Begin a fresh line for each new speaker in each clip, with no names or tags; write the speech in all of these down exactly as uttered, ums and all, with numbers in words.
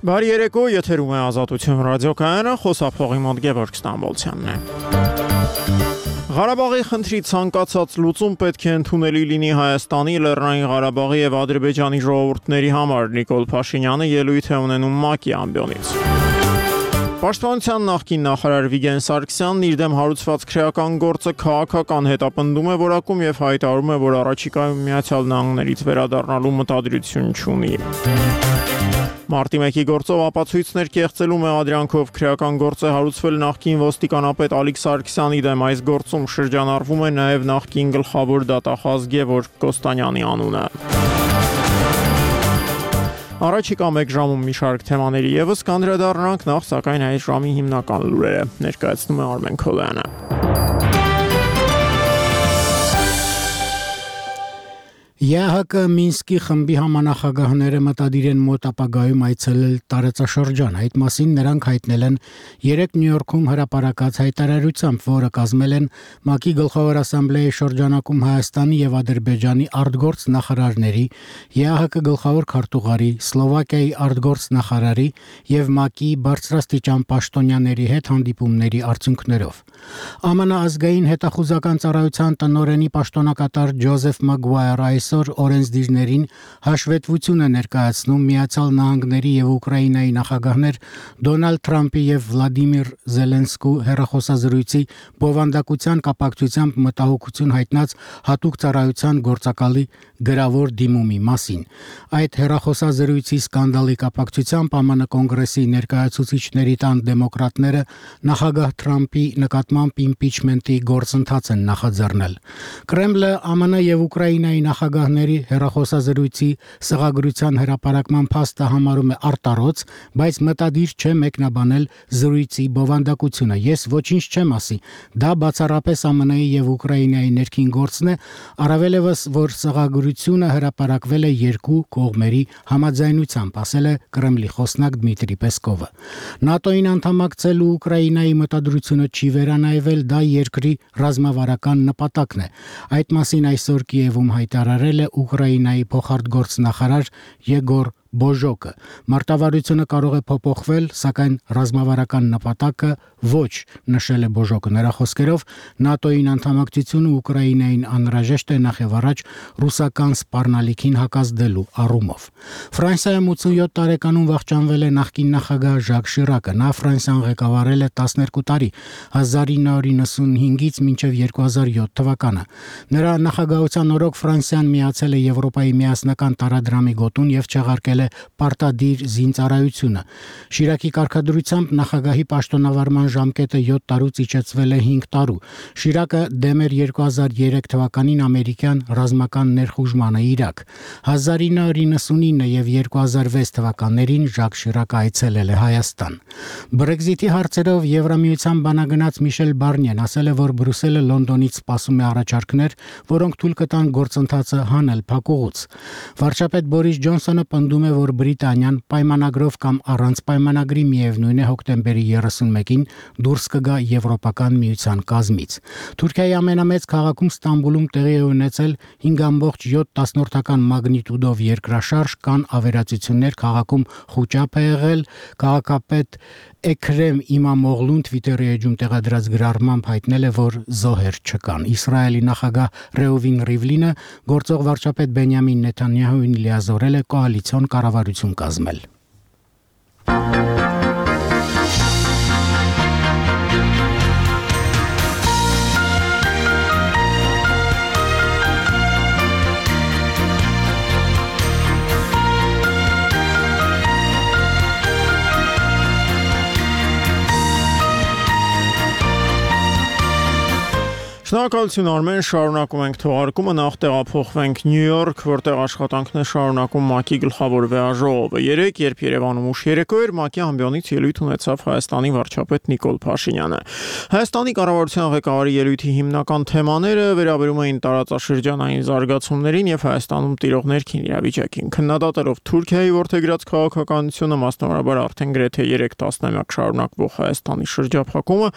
Բարի երեկո, եթերում է Ազատություն ռադիոկայանը, խոսափողի մոտ Գևորգ Ստամբոլցյանն է։ Ղարաբաղի խնդրի ցանկացած լուծում պետք է ընդունելի լինի Հայաստանի, Լեռնային Ղարաբաղի եւ Ադրբեջանի ժողովուրդների համար, Նիկոլ Փաշինյանը ելույթ է ունենում ՄԱԿ-ի ամբիոնից։ Պաշտպանության նախկին նախարար Վիգեն Սարգսյանն իր դեմ հարուցված քրեական գործը քաղաքական հետապնդում է որակում եւ հայտարարում է, որ առաջիկայում Միացյալ Նահանգներից վերադառնալու մտադրություն չունի։ Մարտի մեկի գործով ապացույցներ կեղծելու մեղադրանքով քրեական գործ է հարուցվել նախկին ոստիկանապետ Ալիկ Սարգսյանի դեմ։ Այս գործում շրջանառվում է նաև նախկին գլխավոր դատախազ Գևորգ Կոստանյանի անունը։ Առաջիկա մեկ ժամում մի շարք թեմաների եւս կանդրադառնանք, նախ սակայն այս ժամի հիմնական լուրերը ներկայացնում է Արմեն Քոլյանը։
ԵԱՀԿ Մինսկի խմբի համանախագահները մտադիր են մոտ ապագայում այցելել տարածաշրջան։ Այդ մասին նրանք հայտնել են երեկ Նյու Յորքում հրապարակած հայտարարությամբ, որը կազմել են ՄԱԿ-ի գլխավոր ասամբլեայի շրջանակում Հայաստանի եւ Ադրբեջանի արտգործ նախարարների, ԵԱՀԿ գլխավոր քարտուղարի, Սլովակիայի արտգործ նախարարի եւ ՄԱԿ-ի բարձրաստիճան պաշտոնյաների հետ հանդիպումների արդյունքներով։ ԱՄՆ ազգային հետախուզական ծառայության տնօրենի պաշտոնակատար Ջոզեֆ Մագուայրը այսօր օրենսդիրներին հաշվետվություն է ներկայացնում Միացյալ Նահանգների եւ Ուկրաինայի նախագահներ Դոնալդ Թրամփի եւ Վլադիմիր Զելենսկու հեռախոսազրույցի բովանդակության կապակցությամբ մտահոգություն հայտնած հատուկ ծառայության գործակալի գրավոր դիմումի մասին։ Այդ հեռախոսազրույցի սկանդալի կապակցությամբ ԱՄՆ կոնգրեսի ներկայացուցիչների տան դեմոկրատները նախագահ Թրամփի նկատմամբ իմպիչմենտի գործընթաց են նախաձեռնել։ Կրեմլը ԱՄՆ եւ Ուկրաինայի նախագահների հեռախոսազրույցի սղագրության հրապարակման փաստը համարում է արտարոց, բայց մտադիր չէ մեկնաբանել զրույցի բովանդակությունը։ Ես ոչինչ չեմ ասի, դա բացառապես ԱՄՆ-ի եւ Ուկրաինայի ներքին գործն է, առավելևս որ սղագրությունը հրապարակվել է երկու կողմերի համաձայնությամբ, ասել է Կրեմլի խոսնակ Դմիտրի Պեսկովը։ ՆԱՏՕ-ին անդամակցելու Ուկրաինայի մտադրությունը չի վերանայվել, դա երկրի ռազմավարական նպատակն է։ Այդ մասին այսօր Կիևում հայտարարել է Ուկրաինայի փոխարտգործնախարար Եգոր Բոժոկը։ Մարտավարությունը կարող է փոփոխվել, սակայն ռազմավարական նպատակը ոչ, նշել է Բոժոկը։ Նրա խոսքերով ՆԱՏՕ-ին անդամակցությունը Ուկրաինային անհրաժեշտ է նախ եւ առաջ ռուսական սպառնալիքին հակազդելու առումով։ Ֆրանսիայում ութսունյոթ տարեկանում վախճանվել է նախկին նախագահ Ժակ Շիրակը։ Նա Ֆրանսիան ղեկավարել է տասներկու տարի, հազար ինը հարյուր նվաթ մինչև երկու հազար յոթ թվականը։ Նրա նախագահության օրոք Ֆրանսիան միացել է Եվրոպայի միասնական տարադրամի գոտուն եւ չեղարկել պարտադիր զինծառայությունը։ Շիրակի կարգադրությամբ նախագահի պաշտոնավարման ժամկետը յոթ տարուց իջեցվել է հինգ տարու։ Շիրակը դեմ էր երկու հազար երեք թվականին ամերիկյան ռազմական ներխուժմանը Իրաք։ հազար ինը հարյուր նվաթ եւ երկու հազար վեց թվականներին Ժակ Շիրակը այցելել է Հայաստան։ Բրեքզիթի հարցերով Եվրամիության բանագնաց Միշել Բարնիեն ասել է, որ Բրյուսելը Լոնդոնից սպասում է առաջարկներ, որոնք թույլ կտան գործընթացը հանել փակուղուց։ Վարչապետ Բորիս Ջոնսոնը պնդում է, որ Բրիտանիան պայմանագրով կամ առանց պայմանագրի միևնույն է հոկտեմբերի երեսունմեկին դուրս կգա Եվրոպական միության կազմից։ Թուրքիայի ամենամեծ քաղաքում Ստամբուլում տեղի է ունեցել հինգ կόμma յոթ մագնիտուդով երկրաշարժ, կան ավերածություններ, քաղաքում խուճապ է եղել։ Քաղաքապետ Էքրեմ Իմամօղլուն Twitter-ի էջում տեղադրած գրառմամբ հայտնել է, որ զոհեր չկան։ Իսրայելի նախագահ Ռեուվին Ռիվլինը գործող վարչապետ Բենյամին Նեթանյահուին լիազորել է կոալիցիոն կառավարություն կազմել։
Շնորհակալություն Արմեն, շարունակում ենք թողարկումը, նախ տեղափոխվենք Նյու Յորք, որտեղ աշխատանքն է շարունակում ՄԱԿ-ի գլխավոր վեաժողովը։ Երեկ, երբ Երևանում ուշ երեկո էր, ՄԱԿ-ի ամբիոնից ելույթ ունեցավ Հայաստանի վարչապետ Նիկոլ Փաշինյանը։ Հայաստանի կառավարության ղեկավարի ելույթի հիմնական թեմաները վերաբերում էին տարածաշրջանային զարգացումներին եւ Հայաստանում տիրող ներքին իրավիճակին։ Քննադատելով Թուրքիայի որդեգրած քաղաքականությունը, մասնավորաբար արդեն գրեթե երեք տասնամյակ շարունակվող Հայաստանի շրջափակումը,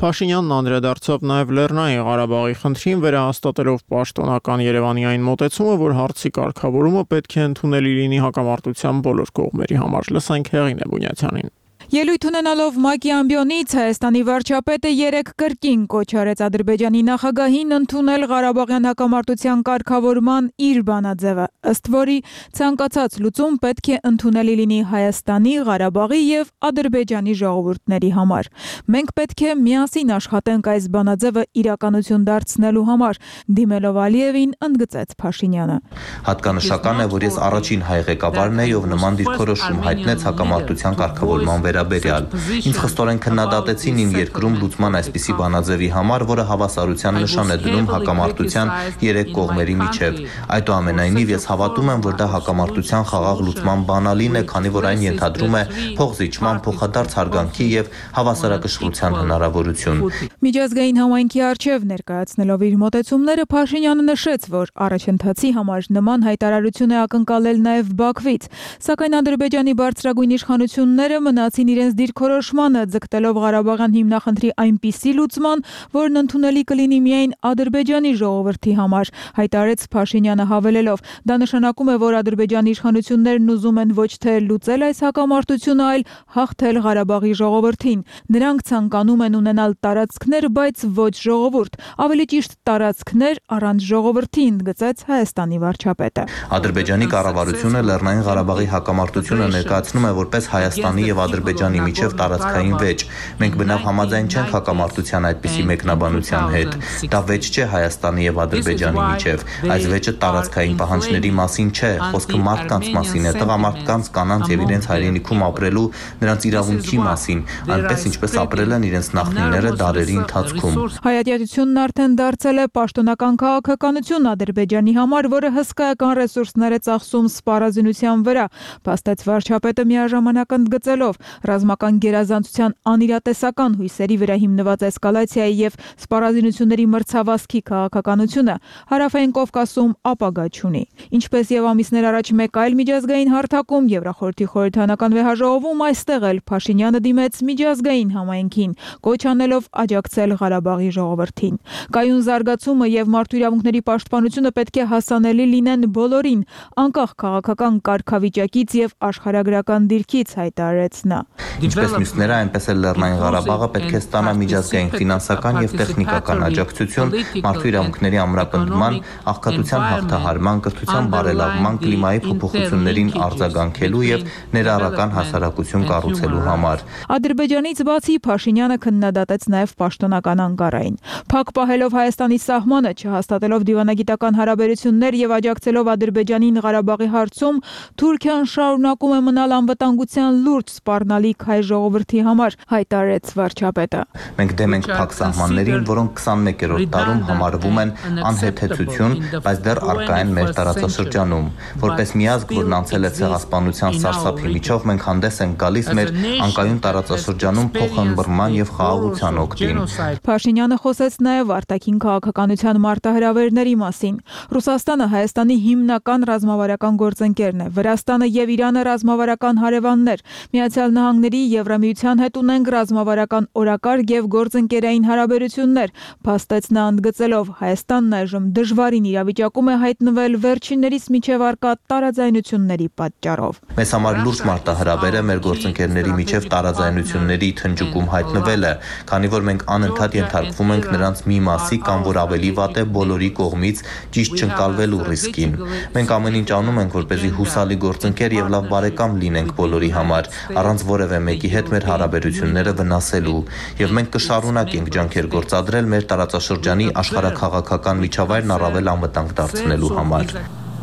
Փաշինյանն անդրադարձավ նաեւ Լեռնային Ղարաբաղի խնդրին, վերահաստատելով պաշտոնական Երևանյան մոտեցումը, որ հարցի կարգավորումը պետք է ընդունելի լինի հակամարտության բոլոր կողմերի համար։ Լսենք Հեղինե Բունյացյանին։
Ելույթ ունենալով ՄԱԿ-ի ամբիոնից Հայաստանի վարչապետը երեկ կրկին կոչ արեց Ադրբեջանի նախագահին ընդունել Ղարաբաղյան հակամարտության կարգավորման իր բանաձևը, ըստ որի ցանկացած լուծում պետք է ընդունելի լինի Հայաստանի, Ղարաբաղի եւ Ադրբեջանի ժողովուրդների համար։ Մենք պետք է միասին աշխատենք այս բանաձևը իրականություն դարձնելու համար, դիմելով Ալիևին ընդգծեց Փաշինյանը։
Հատկանշական է, որ ես առաջին հայ ղեկավարն էի, ով նման դիրքորոշում հայտնեց հակամարտության կարգավորման վերաբերյալ։ Ինձ խստորեն քննադատեցին իմ երկրում լուծման այսպիսի բանաձևի համար, որը հավասարության նշան է դնում հակամարտության երեք կողմերի միջև։ Այդուամենայնիվ ես հավատում եմ, որ դա հակամարտության խաղաղ լուծման բանալին է, քանի որ այն ենթադրում է փոխզիջման, փոխադարձ հարգանքի եւ հավասարակշռության հնարավորություն։
Միջազգային համայնքի արչև ներկայացնելով իր մոտեցումները Փաշինյանը նշեց, որ առաջընթացի համար նման հայտարարություն է ակնկալել նաև Բաքվից, սակայն Ադրբեջանի բարձրագույն իշխանությունները մնացին իրենց դիրքորոշմանը, ձգտելով Ղարաբաղյան հիմնախնդրի այնպիսի լուծման, որն ընդունելի կլինի միայն Ադրբեջանի ժողովրդի համար, հայտարարեց Փաշինյանը հավելելով. դա նշանակում է, որ Ադրբեջանի իշխանություններն ուզում են ոչ թե լուծել այս հակամարտությունը, այլ հաղթել Ղարաբաղի ժողովրդին։ Նրանք ցանկանում են ունենալ տարածքներ, բայց ոչ ժողովուրդ, ավելի ճիշտ տարածքներ առանց ժողովրդի, ընդգծեց Հայաստանի վարչապետը։
Ադրբեջանի կառավարությունը Լեռնային Ղարաբաղի հակամարտությունը ներկայացնում է որպես Հայաստանի եւ Ադրբեջանի միջև տարածքային վեճ։ Մենք բնավ համաձայն չենք հակամարտության այդպիսի մեկնաբանության հետ։ Դա վեճ չէ Հայաստանի եւ Ադրբեջանի միջև։ Այս վեճը տարածքային պահանջների մասին չէ, խոսքը մարդկանց մասին է, տղամարդկանց, կանանց եւ իրենց հայրենիքում ապրելու, նրանց իրավունքի մասին, այնպես ինչպես ապրել են իրենց նախնիները դարերի ընթացքում։
Հայատյացությունն արդեն դարձել է պաշտոնական քաղաքականություն Ադրբեջանի համար, որը հսկայական ռեսուրսներ է ծախսում սպառազինության վրա, փաստեց վարչապետը միաժամանակ ընդգծելով ռազմական գերազանցության անիրատեսական հույսերի վրա հիմնված էսկալացիայի եւ սպառազինությունների մրցավազքի քաղաքականությունը հարավային Կովկասում ապագա չունի։ Ինչպես եւ ամիսներ առաջ մեկ այլ միջազգային հարթակում Եվրախորհրդի խորհրդանական վեհաժողովում, այստեղ էլ Փաշինյանը դիմեց միջազգային համայնքին, կոչ անելով աջակցել Ղարաբաղի ժողովրդին։ Կայուն զարգացումը եւ մարդու իրավունքների պաշտպանությունը պետք է հասանելի լինեն բոլորին, անկախ քաղաքական կարգավիճակից եւ աշխարհագրական դիրքից, հայտարարեց նա։
Ինչպես մյուսները, այնպես էլ Լեռնային Ղարաբաղը պետք է ստանա միջազգային ֆինանսական եւ տեխնիկական աջակցություն մարդու իրավունքների ամրապնդման, աղքատության հաղթահարման, կրթության բարելավման, կլիմայի փոփոխություններին արձագանքելու եւ ներառական հասարակություն կառուցելու համար։
Ադրբեջանից բացի Փաշինյանը քննադատեց նաև պաշտոնական Անկարային։ Փակ պահելով Հայաստանի սահմանը, չհաստատելով դիվանագիտական հարաբերություններ եւ աջակցելով Ադրբեջանին Ղարաբաղի հարցում, Թուրքիան շարունակում է մնալ անվտանգության լուրջ սպառնալիք հայ ժողովրդի համար, հայտարարեց վարչապետը։
Մենք դեմ ենք փակ սահմաններին, որոնք քսանմեկերորդ տարում համարվում են անհեթեթություն, բայց դեռ առկա են մեր տարածաշրջանում։ Որպես միազգ, որն անցել է ցեղասպանության սարսափի միջով, մենք հանդես ենք գալիս մեր անկայուն տարածաշրջանում փոխըմբռնման եւ խաղաղության օգտին։
Փաշինյանը խոսեց նաև արտաքին քաղաքականության մարտահրավերների մասին։ Ռուսաստանը Հայաստանի հիմնական ռազմավարական գործընկերն է, Վրաստանը եւ Իրանը ռազմավարական հարևաններ։ Միացյալ Նահանգների Եվրամիության հետ ունենք ռազմավարական օրակարգ եւ գործընկերային հարաբերություններ, փաստեց նա ընդգծելով, Հայաստանն այժմ դժվարին իրավիճակում է հայտնվել վերջիններիս միջև առկա տարաձայնությունների պատճառով։
Մեզ համար լուրջ մարտահրավեր է մեր գործընկերների միջև տարաձայնությունների թնջուկում հայտնվելը, քանի որ մենք անընդհատ ենթարկվում ենք նրանց մի մասի կամ որ ավելի վատ է բոլորի կողմից ճիշտ չընկալվելու ռիսկին։ Մենք ամեն ինչ անում ենք, որպեսզի հուսալի գործընկեր եւ լավ բարեկամ լինենք բոլորի համար, առանց որևէ մեկի հետ մեր հարաբերությունները վնասելու, եւ մենք կշարունակենք ջանքեր գործադրել մեր տարածաշրջանի աշխարհաքաղաքական միջավայրն առավել անվտանգ դարձնելու համար։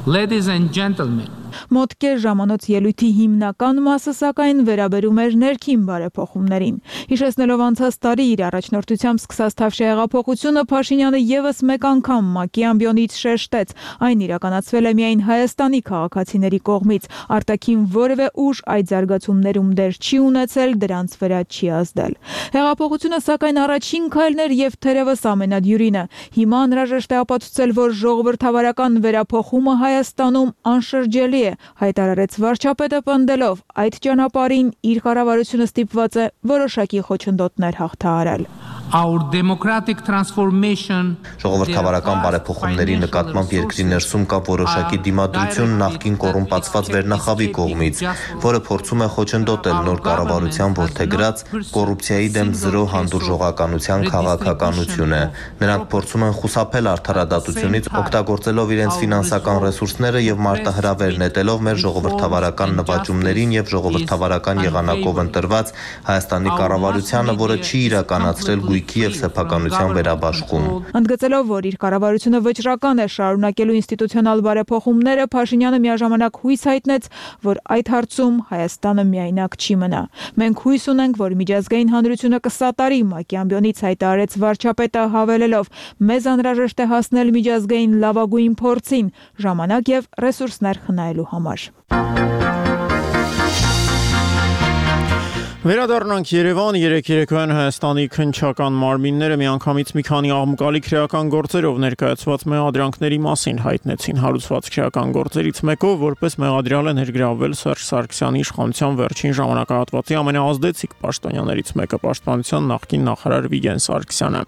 Ladies and gentlemen,
Մոտ կես ժամանոց ելույթի հիմնական մասը սակայն վերաբերում էր ներքին բարեփոխումներին։ Հիշեցնելով անցած տարի իր առաջնորդությամբ սկսած Թավշյա հեղափոխությունը, Փաշինյանը եւս մեկ անգամ ՄԱԿ-ի ամբիոնից շեշտեց, այն իրականացվել է միայն Հայաստանի քաղաքացիների կողմից, արտաքին որևէ ուժ այդ զարգացումներում դեր չի ունեցել, դրանց վրա չի ազդել։ Հեղափոխությունը սակայն առաջին քայլն էր եւ թերևս ամենադյուրինը։ Հիմա անհրաժեշտ է ապացուցել, որ ժողովրդավարական վերափոխումը Հայաստանում անշրջելի է, հայտարարեց վարչապետը պնդելով, այդ ճանապարհին իր կառավարությունը ստիպված է որոշակի խոչընդոտներ հաղթահարել։
Our democratic transformation
Ժողովրդավարական բարեփոխումների նկատմամբ երկրի ներսում կա որոշակի դիմադրություն նախկին կոռումպացված վերնախավի կողմից, որը փորձում է խոչընդոտել նոր կառավարության որդեգրած կոռուպցիայի դեմ զրո հանդուրժողականության քաղաքականությունը։ Նրանք փորձում են խուսափել արդարադատությունից, օգտագործելով իրենց ֆինանսական ռեսուրսները եւ մարտահրավեր նետելով մեր ժողովրդավարական նվաճումներին եւ ժողովրդավարական եղանակով ընտրված Հայաստանի կառավարությանը, որը չի իրականացրել եւ սեփականության վերաբաշխում։
Ընդգծելով, որ իր կառավարությունը վճռական է շարունակելու ինստիտուցիոնալ բարեփոխումները, Փաշինյանը միաժամանակ հույս հայտնեց, որ այդ հարցում Հայաստանը միայնակ չի մնա։ Մենք հույս ունենք, որ միջազգային հանրությունը կսատարի ՄԱԿ-ի ամբիոնից, հայտարարեց վարչապետը, հավելելով. մեզ անհրաժեշտ է հասնել միջազգային լավագույն փորձին, ժամանակ եւ ռեսուրսներ խնայելու համար։
Վերադառնանք Երևան, երեք երեկոյան Հայաստանի քննչական մարմինները միանգամից մի քանի աղմկալի քրեական գործերով ներկայացված մեղադրանքների մասին հայտնեցին։ Հարուցված քրեական գործերից մեկով որպես մեղադրյալ է ներգրավվել Սերժ Սարգսյանի իշխանության վերջին ժամանակահատվածի ամենաազդեցիկ պաշտոնյաներից մեկը, պաշտպանության նախկին նախարար Վիգեն Սարգսյանը։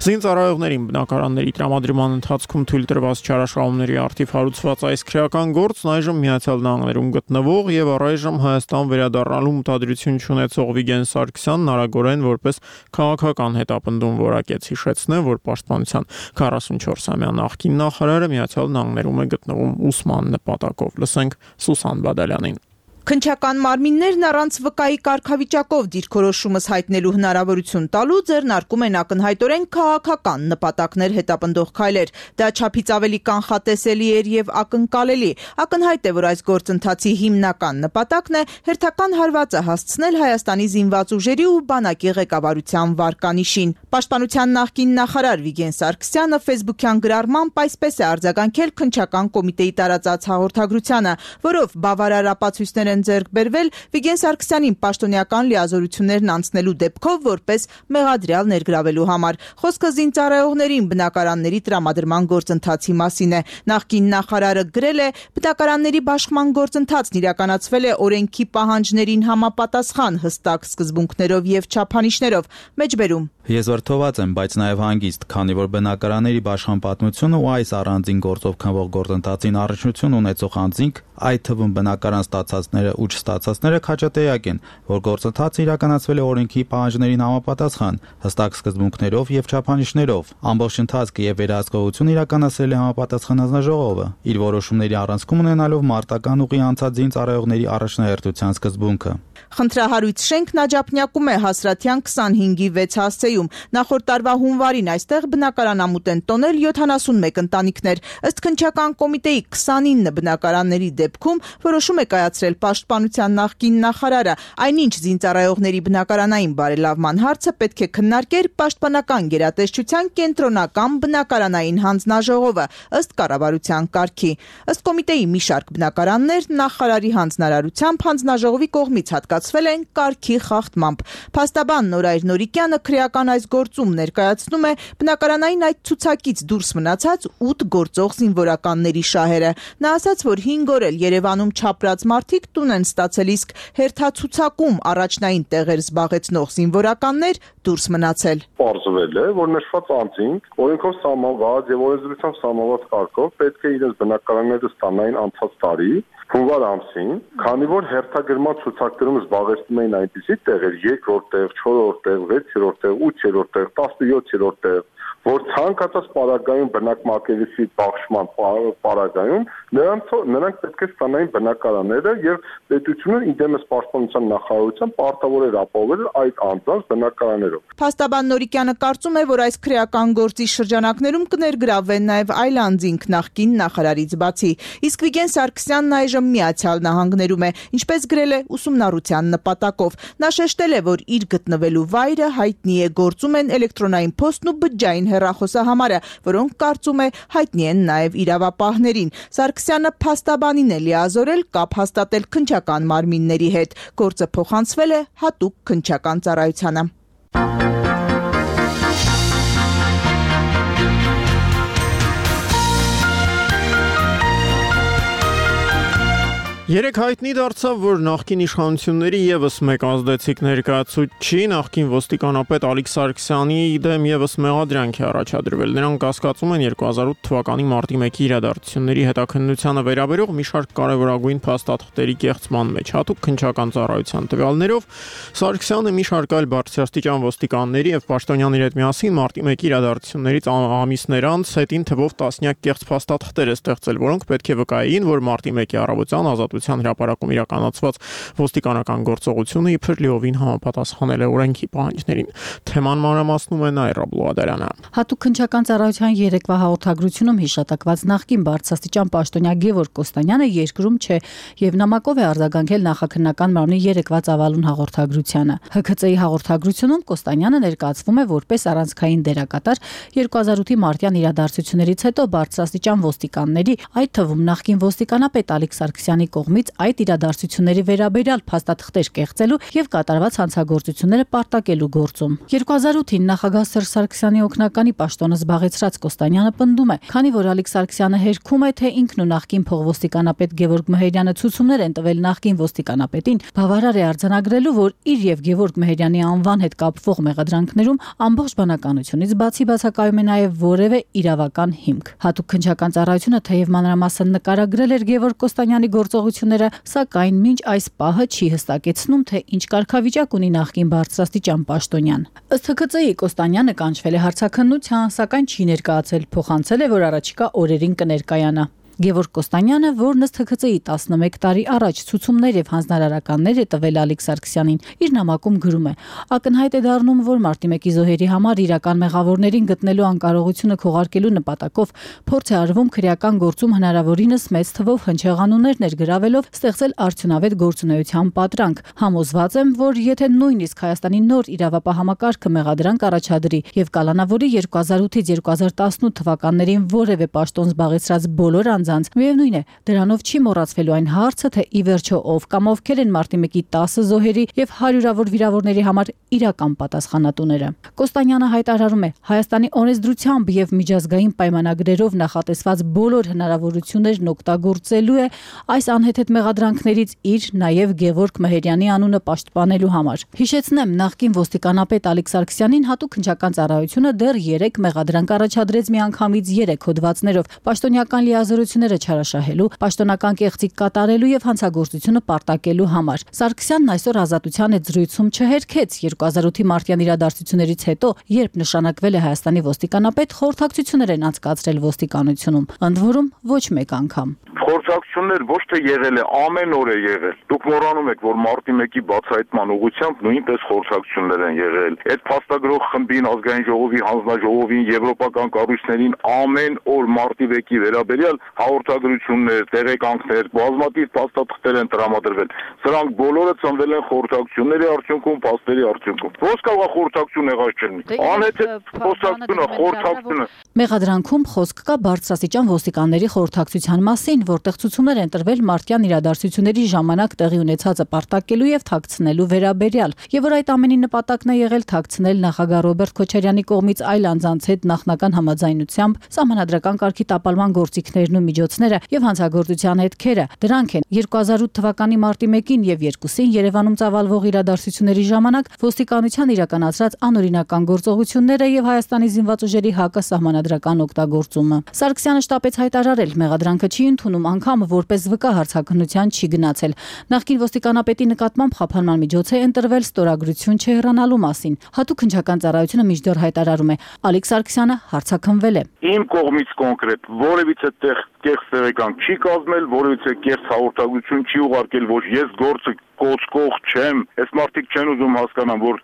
Զինծառայողներին բնակարանների տրամադրման ընթացքում թույլ տրված չարաշահումների առթիվ հարուցված այս քրեական գործն այժմ Միացյալ Նահանգներում գտնվող եւ առայժմ Հայաստան վերադառնալու մտադրություն չունեցող Վիգեն Սարգսյանն արագորեն որպես քաղաքական հետապնդում որակեց, հիշեցնեմ, որ պաշտպանության քառասունչորսամյա նախկին նախարարը Միացյալ Նահանգներում է գտնվում ուսման նպատակով։ Լսենք Սուսան Բադալյանին։
Քննչական մարմիններն առանց վկայի կարգավիճակով դիրքորոշումս հայտնելու հնարավորություն տալու ձեռնարկում են ակնհայտորեն քաղաքական նպատակներ հետապնդող քայլեր։ Դա չափից ավելի կանխատեսելի էր եւ ակնկալելի։ Ակնհայտ է, որ այս գործընթացի հիմնական նպատակն է հերթական հարվածը հասցնել Հայաստանի զինված ուժերի ու բանակի ղեկավարության վարկանիշին։ Պաշտպանության նախկին նախարար Վիգեն Սարգսյանը ֆեյսբուքյան գրառմամբ այսպես է արձագանքել քննչական կոմիտեի տարածած հաղորդագրությանը, որով բավարար ապացույցներ ձեռք բերվել Վիգեն Սարգսյանին պաշտոնյական լիազորություններն անցնելու դեպքով որպես մեղադրյալ ներգրավելու համար։ Խոսքը զինծառայողներին բնակարանների տրամադրման գործընթացի մասին է։ Նախկին նախարարը գրել է. բնակարանների բաշխման գործընթացն իրականացվել է օրենքի պահանջներին համապատասխան հստակ սկզբունքներով եւ չափանիշներով։ Մեջբերում
Ես վրդոված եմ, բայց նաև հանգիստ, քանի որ բնակարանների բաշխման պատմությունը ու այս առանձին գործով քննվող գործընթացին առնչություն ունեցող անձինք, այդ թվում բնակարան ստացածները ու չստացածները քաջատեակ են, որ գործընթացը իրականացվել է օրենքի պահանջներին համապատասխան, հստակ սկզբունքներով եւ չափանիշներով։ Ամբողջ ընթացքը եւ վերահսկողությունը իրականացրել է համապատասխան հանձնաժողովը, իր որոշումների առանցքում ունենալով մարտական ուղի անցած զինծառայողների առաջնահերթության սկզբունքը։
Խնդրահարույց շենքն Աջափնյակում է Հասրաթյան քսանհինգի վեց հասցեում։ Նախորդ տարվա հունվարին այստեղ բնակարանամուտ են տոնել յոթանասունմեկ ընտանիքներ։ Ըստ քննչական կոմիտեի քսանինը բնակարանների դեպքում որոշում է կայացրել պաշտպանության նախկին նախարարը։ Այնինչ զինծառայողների բնակարանային բարելավման հարցը պետք է քննարկեր պաշտպանական գերատեսչության կենտրոնական բնակարանային հանձնաժողովը ըստ կառավարության կարգի։ Ըստ կոմիտեի մի շարք բնակարաններ նախարարի հանձնարարությամբ հանձնաժողովի կողմից հատկացվել են կարգի խախտմամբ։ Փաստաբան Նորայր Նորիկյանը քրեական այս գործում ներկայացնում է բնակարանային այդ ցուցակից դուրս մնացած ութ գործող զինվորականների շահերը։ Նա ասաց, որ հինգ օր էլ Երևանում չապրած մարդիկ տուն են ստացել, իսկ հերթացուցակում առաջնային տեղեր զբաղեցնող զինվորականներ դուրս մնացել։
Պարզվել է, որ նշված անձինք օրենքով սահմանված եւ օրենսդրությամբ սահմանված կարգով պետք է իրենց բնակարանները ստանային անցած տարի հունվար ամսին, քանի որ հերթագրման ցուցակներում զբաղեցնում էին այնպիսի տեղեր, երկրորդ տեղ, չորրորդ տեղ, վեցերորդ տեղ, ութերորդ տեղ, տասնյոթերորդ տեղ, որ ցանկացած պարագայում բնակմակերեսի բաշխման պարագայում նրանց նրանք պետք է ստանային բնակարանները եւ պետությունը իդեմս պաշտպանության նախարարության պարտավոր էր ապահովել այդ անձանց բնակարաններով։
Փաստաբան Նորիկյանը կարծում է, որ այս քրեական գործի շրջանակներում կներգրավվեն նաեւ այլ անձինք նախկին նախարարից բացի։ Իսկ Վիգեն Սարգսյանն այժմ Միացյալ Նահանգներում է, ինչպես գրել է ուսումնառության նպատակով։ Նա շեշտել է, որ իր գտնվելու վայրը հայտնի է, գործում են էլեկտրոնային փոստն ու բջջային հեռախոսահամարը, որոնք կարծում է հայտնի են նաև իրավապահներին։ Սարգսյանը փաստաբանին է լիազորել կապ հաստատել քննչական մարմինների հետ։ Գործը փոխանցվել է հատուկ քննչական ծառայությանը։
Երեք հայտնի դարձավ, որ նախկին իշխանությունների եւս մեկ ազդեցիկ ներկայացուցիչ նախկին ոստիկանապետ Ալիկ Սարգսյանի դեմ եւս մեղադրանք է առաջադրվել։ Նրանք կասկածում են երկու հազար ութ թվականի մարտի մեկի իրադարձությունների հետաքննությանը վերաբերող մի շարք կարևորագույն փաստաթղթերի կեղծման մեջ, հատուկ քննչական ծառայության տվյալներով Սարգսյանը մի շարք այլ բարձրաստիճան ոստիկանների եւ պաշտոնյաների հետ միասին մարտի մեկի իրադարձություններից ամիսներ անց հետին թվով տասնյակ կեղծ փաստաթղթեր է ստեղծել, որոնք պետք է վկայեին, որ մարտի մեկի առավոտյան ազատ հրապարակում իրականացված ոստիկանական գործողությունը իբր լիովին համապատասխանել է օրենքի պահանջներին։ Թեման մանրամասնում է Նաիրա Բլուադարյանը։
Հատուկ քննչական ծառայության երեկվա հաղորդագրությունում հիշատակված նախկին բարձրաստիճան պաշտոնյա Գևորգ Կոստանյանը երկրում չէ եւ նամակով է արձագանքել նախաքննական մարմնի երեկվա ծավալուն հաղորդագրությանը։ Հ K C-ի հաղորդագրությունում Կոստանյանը ներկայացվում է որպես առանցքային դերակատար երկու հազար ութի մարտյան իրադարձություններից հետո բարձրաստիճան ոստիկանների, այդ թվում նախկին ոստիկանապետ Ալիկ Սարգսյանի կողմից այդ իրադարձությունների վերաբերյալ փաստաթղթեր կեղծելու եւ կատարված հանցագործությունները պարտակելու գործում։ երկու հազար ութին նախագահ Սերժ Սարգսյանի օգնականի պաշտոնը զբաղեցրած Կոստանյանը պնդում է, քանի որ Ալիկ Սարգսյանը հերքում է, թե ինքն ու նախկին փողոստիկանապետ Գևորգ Մեհերյանը ցուցումներ են տվել նախկին ոստիկանապետին, բավարար է արձանագրելու, որ իր եւ Գևորգ Մեհերյանի անվան հետ կապվող մեղադրանքներում ամբողջ բանականությունից բացի բացակայում է նաեւ որևէ իրավական հիմք։ Հատուկ քննչական ծառայությունը թեև մանրամասն նկարագրել էր Գևորգ Կոստանյանի գործողությունները, սակայն մինչ այս պահը չի հստակեցնում, թե ինչ կարգավիճակ ունի նախկին բարձրաստիճան պաշտոնյան։ Ըստ Հ K C-ի Կոստանյանը կանչվել է հարցաքննության, սակայն չի ներկայացել, փոխանցել է, որ առաջիկա օրերին կներկայանա։ Գևորգ Կոստանյանը, որն ըստ Հ K C-ի տասնմեկ տարի առաջ ցուցումներ եւ հանձնարարականներ է տվել Ալիկ Սարգսյանին, իր նամակում գրում է. ակնհայտ է դառնում, որ մարտի մեկի զոհերի համար իրական մեղավորներին գտնելու անկարողությունը քողարկելու նպատակով փորձ է արվում քրեական գործում հնարավորինս մեծ թվով հնչեղանուններ ներգրավելով ստեղծել արդյունավետ գործունեության պատրանք։ Համոզված եմ, որ եթե նույնիսկ Հայաստանի նոր իրավապահ համակարգը մեղադրանք առաջադրի եւ կալանավորի երկու հազար ութից երկու հազար տասնութ թվականներին որևէ պաշտոն զբաղեցրած բոլոր միևնույն է, դրանով չի մոռացվելու այն հարցը, թե ի վերջո ով կամ ովքեր են մարտի մեկի տասը զոհերի եւ հարյուրավոր վիրավորների համար իրական պատասխանատուները։ Կոստանյանը հայտարարում է, Հայաստանի օրենսդրությամբ եւ միջազգային պայմանագրերով նախատեսված բոլոր հնարավորություններն օգտագործելու է այս անհեթեթ մեղադրանքներից իր նաեւ Գևորգ Մեհերյանի անունը պաշտպանելու համար։ Հիշեցնեմ, նախկին ոստիկանապետ Ալիկ Սարգսյանին հատուկ քննչական ծառայությունը դեռ երեք մեղադրանք առաջադրեց միանգամից երեք հոդվածներով պաշտոնյական լիազորություն չարաշահելու, պաշտոնական կեղծիք կատարելու եւ հանցագործությունը պարտակելու համար։ Սարգսյանն այսօր ազատության հետ զրույցում չհերքեց երկու հազար ութի մարտյան իրադարձություններից հետո, երբ նշանակվել է Հայաստանի ոստիկանապետ, խորհրդակցություններ են անցկացրել ոստիկանությունում, ընդ որում ոչ մեկ անգամ։
Խորհրդակցություններ ոչ թե եղել է, ամեն օր է եղել։ Դուք մոռանում եք, որ մարտի մեկի բացահայտման ուղղությամբ նույնպես խորհրդակցություններ են եղել։ Այդ փաստագրող խմբին, ազգային ժողովի, հանձնաժողովին, եվրոպական կառույցներին ամեն օր մարտի մեկի վերաբերյալ հաղորդագրություններ, տեղեկանքներ, բազմաթիվ փաստաթղթեր են տրամադրվել։ Սրանք բոլորը ծնվել են խորհրդակցությունների արդյունքում, փաստերի արդյունքում։ Ո՞նց կարող է խորհրդակցություն եղած չլինի։ Անհեթեթ խոսակցությունը, խորհրդակցությունը։
Մեղադրանքում խոսք կա բարձրաստիճան ոստիկանների խորհրդակցության մասին, որտեղ ցուցումներ են տրվել մարտյան իրադարձությունների ժամանակ տեղի ունեցածը պարտակելու եւ թաքցնելու վերաբերյալ, եւ որ այդ ամենի նպատակն է եղել թաքցնել նախագահ Ռոբերտ Քոչարյանի կողմից այլ անձանց հետ նախնական համաձայնությամբ սահմանադրական կարգի տապալման գործիքներն ու միջոցները եւ հանցագործության հետքերը։ Դրանք են երկու հազար ութ թվականի մարտի մեկին եւ երկուսին Երևանում ծավալվող իրադարձությունների ժամանակ ոստիկանության իրականացրած անօրինական գործողությունները եւ Հայաստանի զինված ուժերի հակասահմանադրական օգտագործումը։ Սարգսյանը շտապեց հայտարարել, մեղադրանքը չի ընդունում, անգամ որպես վկա հարցաքննության չի գնացել։ Նախկին ոստիկանապետի նկատմամբ խափանման միջոց է ընտրվել ստորագրություն չհեռանալու մասին։ Հատուկ քննչական ծառայությունը միջդեռ հայտարարում է, Ալիկ Սարգսյանը հարցաքննվել է։
Իմ կողմից կոնկրետ որևիցե տեղ կեղծ տեղեկանք չի կազմել, որևիցե կեղծ հաղորդագրություն չի ուղարկել, որ ես գործը կոծկող չեմ։ Այս մարդիկ չեն ուզում հասկանան, որ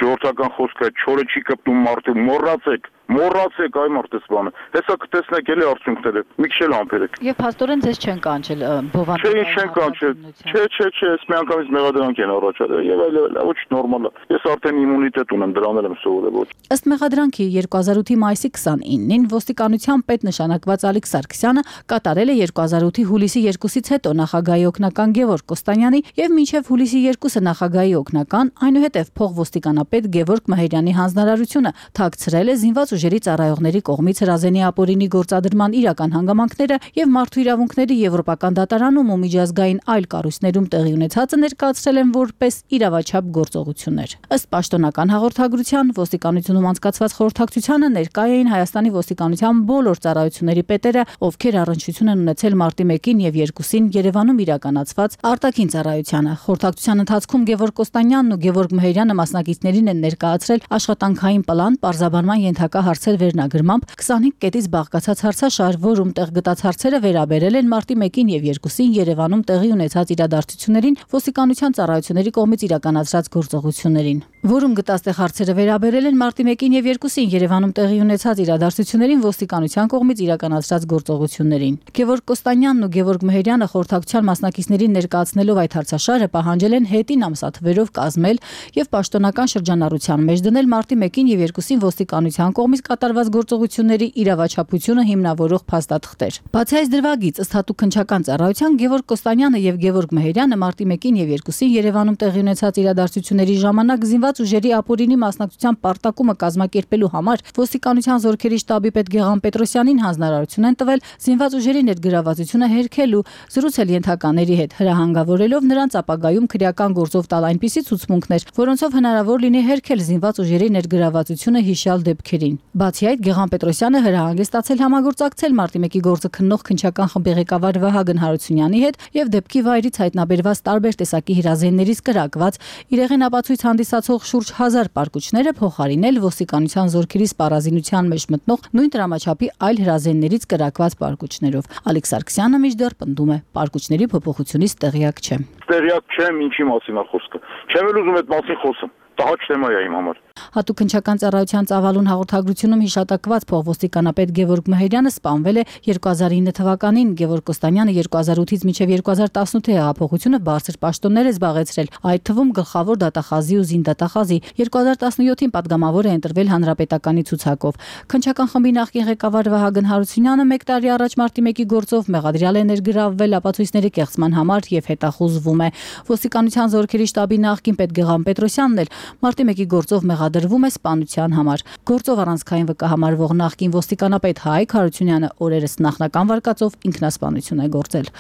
ժողովրդական խոսքը չորը չի կպտում մարդը, մոռացեք, մոռացեք այ մարդես բանը։ Հեսա կտեսնեք էլի արդյունքները, մի քիչ էլ ամփերեք։
Եվ փաստորեն ձեզ չեն կանչել բովանդակային։
Չէ, չեն կանչել։ Չէ, չէ, չէ, ես միանգամից մեղադրանք են առաջադրել եւ այլ այլ, ոչ նորմալ է։ Ես արդեն իմունիտետ ունեմ, դրանել եմ սովորել ոչ։
Ըստ մեղադրանքի երկու հազար ութի մայիսի քսանինին ոստիկանության պետ նշանակված Ալիկ Սարգսյանը կատարել է երկու հազար ութի հուլիսի երկուսից հետո նախագահի օգնական Գևորգ Կոստանյանի եւ Եվ մինչև հուլիսի երկուսը նախագահի օգնական, այնուհետև փոխոստիկանապետ Գևորգ Մհերյանի հանձնարարությունը թաքցրել է զինված ուժերի ծառայողների կողմից հրազենի ապօրինի գործադրման իրական հանգամանքները եւ մարդու իրավունքների եվրոպական դատարանում ու միջազգային այլ կառույցներում տեղի ունեցածը ներկայացրել են որպես իրավաչափ գործողություններ։ Ըստ պաշտոնական հաղորդագրության ոստիկանությունում անցկացված խորհրդակցությանը ներկայ էին Հայաստանի ոստիկանության բոլոր ծառայությունների պետերը, ովքեր առնչություն են ունեցել մարտի մեկին եւ երկուսին Երևանում իրականացված արտաքին ծառայությանը։ Խորհրդակցության ընթացքում Գևորգ Կոստանյանն ու Գևորգ Մհերյանը մասնակիցներին են ներկայացրել աշխատանքային պլան պարզաբանման ենթակա հարցեր վերնագրմամբ քսանհինգ կետից բաղկացած հարցաշար, որում տեղ գտած հարցերը վերաբերել են մարտի մեկին եւ երկուսին Երևանում տեղի ունեցած իրադարձություններին, ոստիկանության ծառայությունների կողմից իրականացրած գործողություններին, որում գտած տեղ հարցերը վերաբերել են մարտի մեկին եւ երկուսին Երևանում տեղի ունեցած իրադարձություններին, ոստիկանության կողմից իրականացրած գործողություններին։ Գևորգ Կոստանյանն ու Գևորգ Մհերյանը խորհրդակցության մասնակիցներին ներկայացնելով այդ հարցաշարը պահանջել են հետին ամսաթվերով կազմել եւ պաշտոնական շրջանառության մեջ դնել մարտի մեկին եւ երկուսին ոստիկանության կողմից կատարված գործողությունների իրավաչափությունը հիմնավորող փաստաթղթեր։ Բացի այս դրվագից, ըստ հատուկ քննչական ծառայության, Գևորգ Կոստանյանը եւ Գևորգ Մհերյանը մարտի մեկին եւ երկուսին Երևանում տեղի ունեցած իրադարձությունների ժամանակ զինված ուժերի ապօրինի մասնակցության պարտակումը կազմակերպելու համար ոստիկանության զորքերի շտաբի պետ Գեղամ Պետրոսյանին հանձնարարություն են տվել զինված ուժերի ներգրավվածությունը հերքելու, զրուցել ենթակաների հետ, հրահանգավորելով նրանց ապագայում քրեական գործով տալ այնպիսի ցուցմունքներ, որոնցով հնարավոր լինի հերքել զինված ուժերի ներգրավվածությունը հիշյալ դեպքերին։ Բացի այդ, Գեղամ Պետրոսյանը հրահանգ է ստացել համագործակցել մարտի մեկի գործը քննող քննչական խմբի ղեկավար Վահագն Հարությունյանի հետ եւ դեպքի վայրից հայտնաբերված տարբեր տեսակի հրազեններից կրակված իրեղեն ապացույց հանդիսացող շուրջ հազար պարկուճները փոխարինել ոստիկանության զորքերի սպառազինության մեջ մտնող նույն դրամաչափի այլ հրազեններից կրակված պարկուճներով։ Ալեքս Սարգսյանը մինչդեռ պնդում է, պարկուճների փոփոխությունից տեղյակ չէ։
Տեղյակ չեմ, ինչի մասին է խոսքը։ Չեմ էլ ուզում այդ մասին խոսեմ։ Տհաճ թեմա է իմ համար։
Հատուկ քննչական ծառայության ծավալուն հաղորդագրությունում հիշատակված փոխոստիկանապետ Գևորգ Մհերյանը սպանվել է երկու հազար ինը թվականին, Գևորգ Կոստանյանը երկու հազար ութից մինչև երկու հազար տասնութ հեղափոխությունը բարձր պաշտոններ է զբաղեցրել, այդ թվում գլխավոր դատախազի ու զինդատախազի։ երկու հազար տասնյոթին падգամավոր է ընտրվել հանրապետականի ցուցակով։ Քննչական խմբի նախկին ղեկավար Վահագն Հարությունյանը մեկ տարի առաջ մարտի մեկի գործով մեղադրյալ է ներգրավվել ապացույցների կեղծման համար եւ հետախուզվում է։ Ոստիկանության զորքերի շտաբի նախկին պետ Գեղամ Պետրոսյանն էլ մարտի մեկի գործով մեղադրվում է սպանության համար։ Գործով առանցքային վկա համարվող նախկին ոստիկանապետ Հայկ Հարությունյանը օրերս նախնական վարկածով ինքնասպանություն է գործել։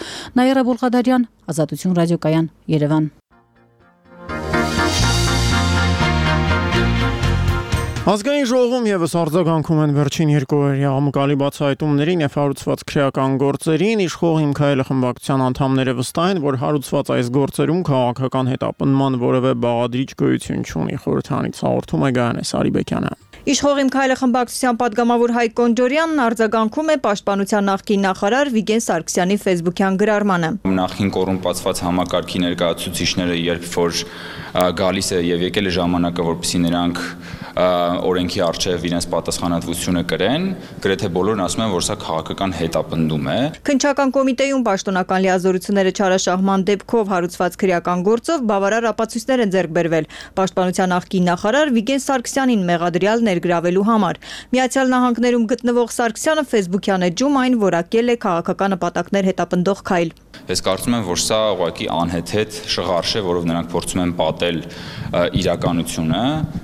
Նաիրա Բոլղադարյան, Ազատություն ռադիոկայան, Երևան։
Ազգային ժողովում եւս արձագանքում են վերջին երկու օրյա աղմկալի բացահայտումներին եւ հարուցված քրեական գործերին, իշխող Հիմքայելը խմբակցության անդամները վստահ են, որ հարուցված այս գործերում քաղաքական հետապնդման որևէ բաղադրիչ գոյություն չունի։ Խորհրդանից հաղորդում է Գայանե Սարիբեկյանը։
Իշխող Հիմքայելը խմբակցության падգամավոր Հայկ Կոնջորյանն արձագանքում է պաշտպանության նախկին նախարար Վիգեն Սարգսյանի ֆեյսբուքյան գրառմանը։
Նախին կոռումպացված համակարգի ներկայացուցիչները երբ որ գալիս է եւ եկել է ժամանակը, որպեսզի նրանք օրենքի առջև իրենց պատասխանատվությունը կրեն, գրեթե բոլորն ասում են, որ սա քաղաքական հետապնդում է։
Քննչական կոմիտեում պաշտոնական լիազորությունները չարաշահման դեպքով հարուցված քրեական գործով բավարար ապացույցներ են ձեռք բերվել պաշտպանության նախկին նախարար Վիգեն Սարգսյանին մեղադրյալ ներգրավելու համար։ Միացյալ Նահանգներում գտնվող Սարգսյանը ֆեյսբուքյան էջում այն որակել է քաղաքական նպատակներ հետապնդող քայլ։
Ես կարծում եմ, որ սա ուղղակի անհեթեթ շղարշ է, որով նրանք փորձում են պատել իրականությունը,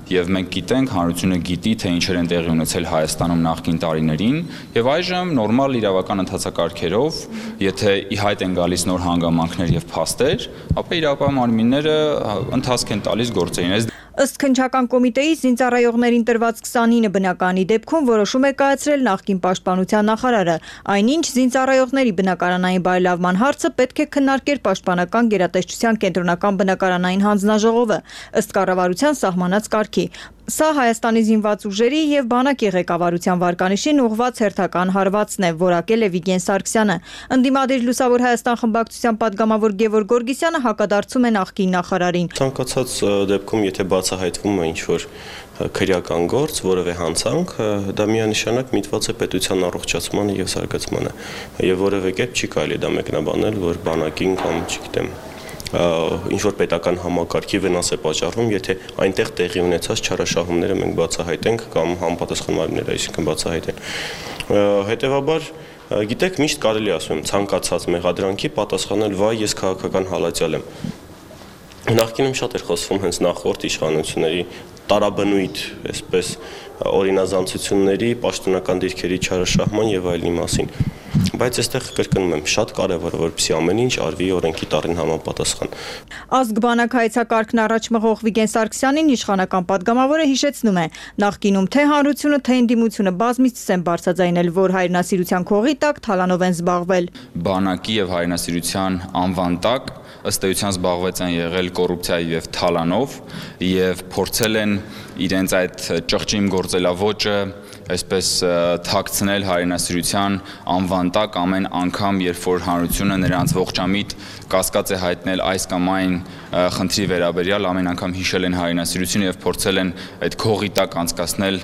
եւ մենք գիտենք, հանրությունը գիտի, թե ինչեր են տեղի ունեցել Հայաստանում նախկին տարիներին, եւ այժմ նորմալ իրավական ընթացակարգերով, եթե ի հայտ են գալիս նոր հանգամանքներ եւ փաստեր, ապա իրավապահ մարմինները ընթացք են տալիս գործերին։
Ըստ քննչական կոմիտեի զինծառայողներին տրված քսանինը բնականի դեպքում որոշում է կայացրել նախկին պաշտպանության նախարարը։ Այնինչ զինծառայողների բնակարանային բարելավման հարցը պետք է քննարկեր պաշտպանական գերատեսչության կենտրոնական բնակարանային հանձնաժողովը ըստ կառավարության սահմանած կարգի։ Սա Հայաստանի զինված ուժերի եւ բանակի ղեկավարության վարկանիշին ուղղված հերթական հարվածն է, որակել է Վիգեն Սարգսյանը։ Ընդդիմադիր Լուսավոր Հայաստան խմբակցության падգամավոր Գևորգ Գորգիսյանը հակադարձում է նախկին նախարարին։
Ցանկացած դեպքում, եթե բացահայտվում է ինչ-որ քրեական գործ, որևէ հանցանք, դա միանշանակ միտված է պետության առողջացմանը եւ զարգացմանը, եւ որևէ կերպ չի կարելի դա մեկնաբանել, որ բանակին կամ, չգիտեմ, ինչ-որ պետական համակարգի վնաս է պատճառվում, եթե այնտեղ տեղի ունեցած չարաշահումները մենք բացահայտենք կամ համապատասխան մարմինները, այսինքն բացահայտեն։ Հետևաբար, գիտեք, միշտ կարելի ասում եմ ցանկացած մեղադրանքի պատասխանել վայ, ես քաղաքական հալածյալ եմ։ Նախկինում շատ էր խոսվում հենց նախորդ իշխանությունների տարաբնույթ, այսպես օրինազանցությունների, պաշտոնական դիրքերի չարաշահման եւ այլնի մասին։ Բայց այստեղ կրկնում եմ, շատ կարևոր է, որպեսզի ամեն ինչ արվի օրենքի տառին համապատասխան։
Ազգ բանակ հայեցակարգն առաջ մղող Վիգեն Սարգսյանին իշխանական падգամավորը հիշեցնում է, նախկինում թե հանրությունը, թե ընդդիմությունը բազմիցս են բարձրաձայնել, որ հայրենասիրության քողի տակ թալանով են զբաղվել։
Բանակի եւ հայրենասիրության անվան տակ ըստ էության զբաղվեց են եղել կոռուպցիայի եւ թալանով եւ փորձել են իրենց այդ ճղճիմ գործելավոճը այսպես թաքցնել հայրենասիրության անվան տակ ամեն անգամ, երբ որ հանրությունը նրանց ողջամիտ կասկած է հայտնել այս կամ այն խնդրի վերաբերյալ, ամեն անգամ հիշել են հայրենասիրությունը եւ փորձել են այդ քողի տակ անցկացնել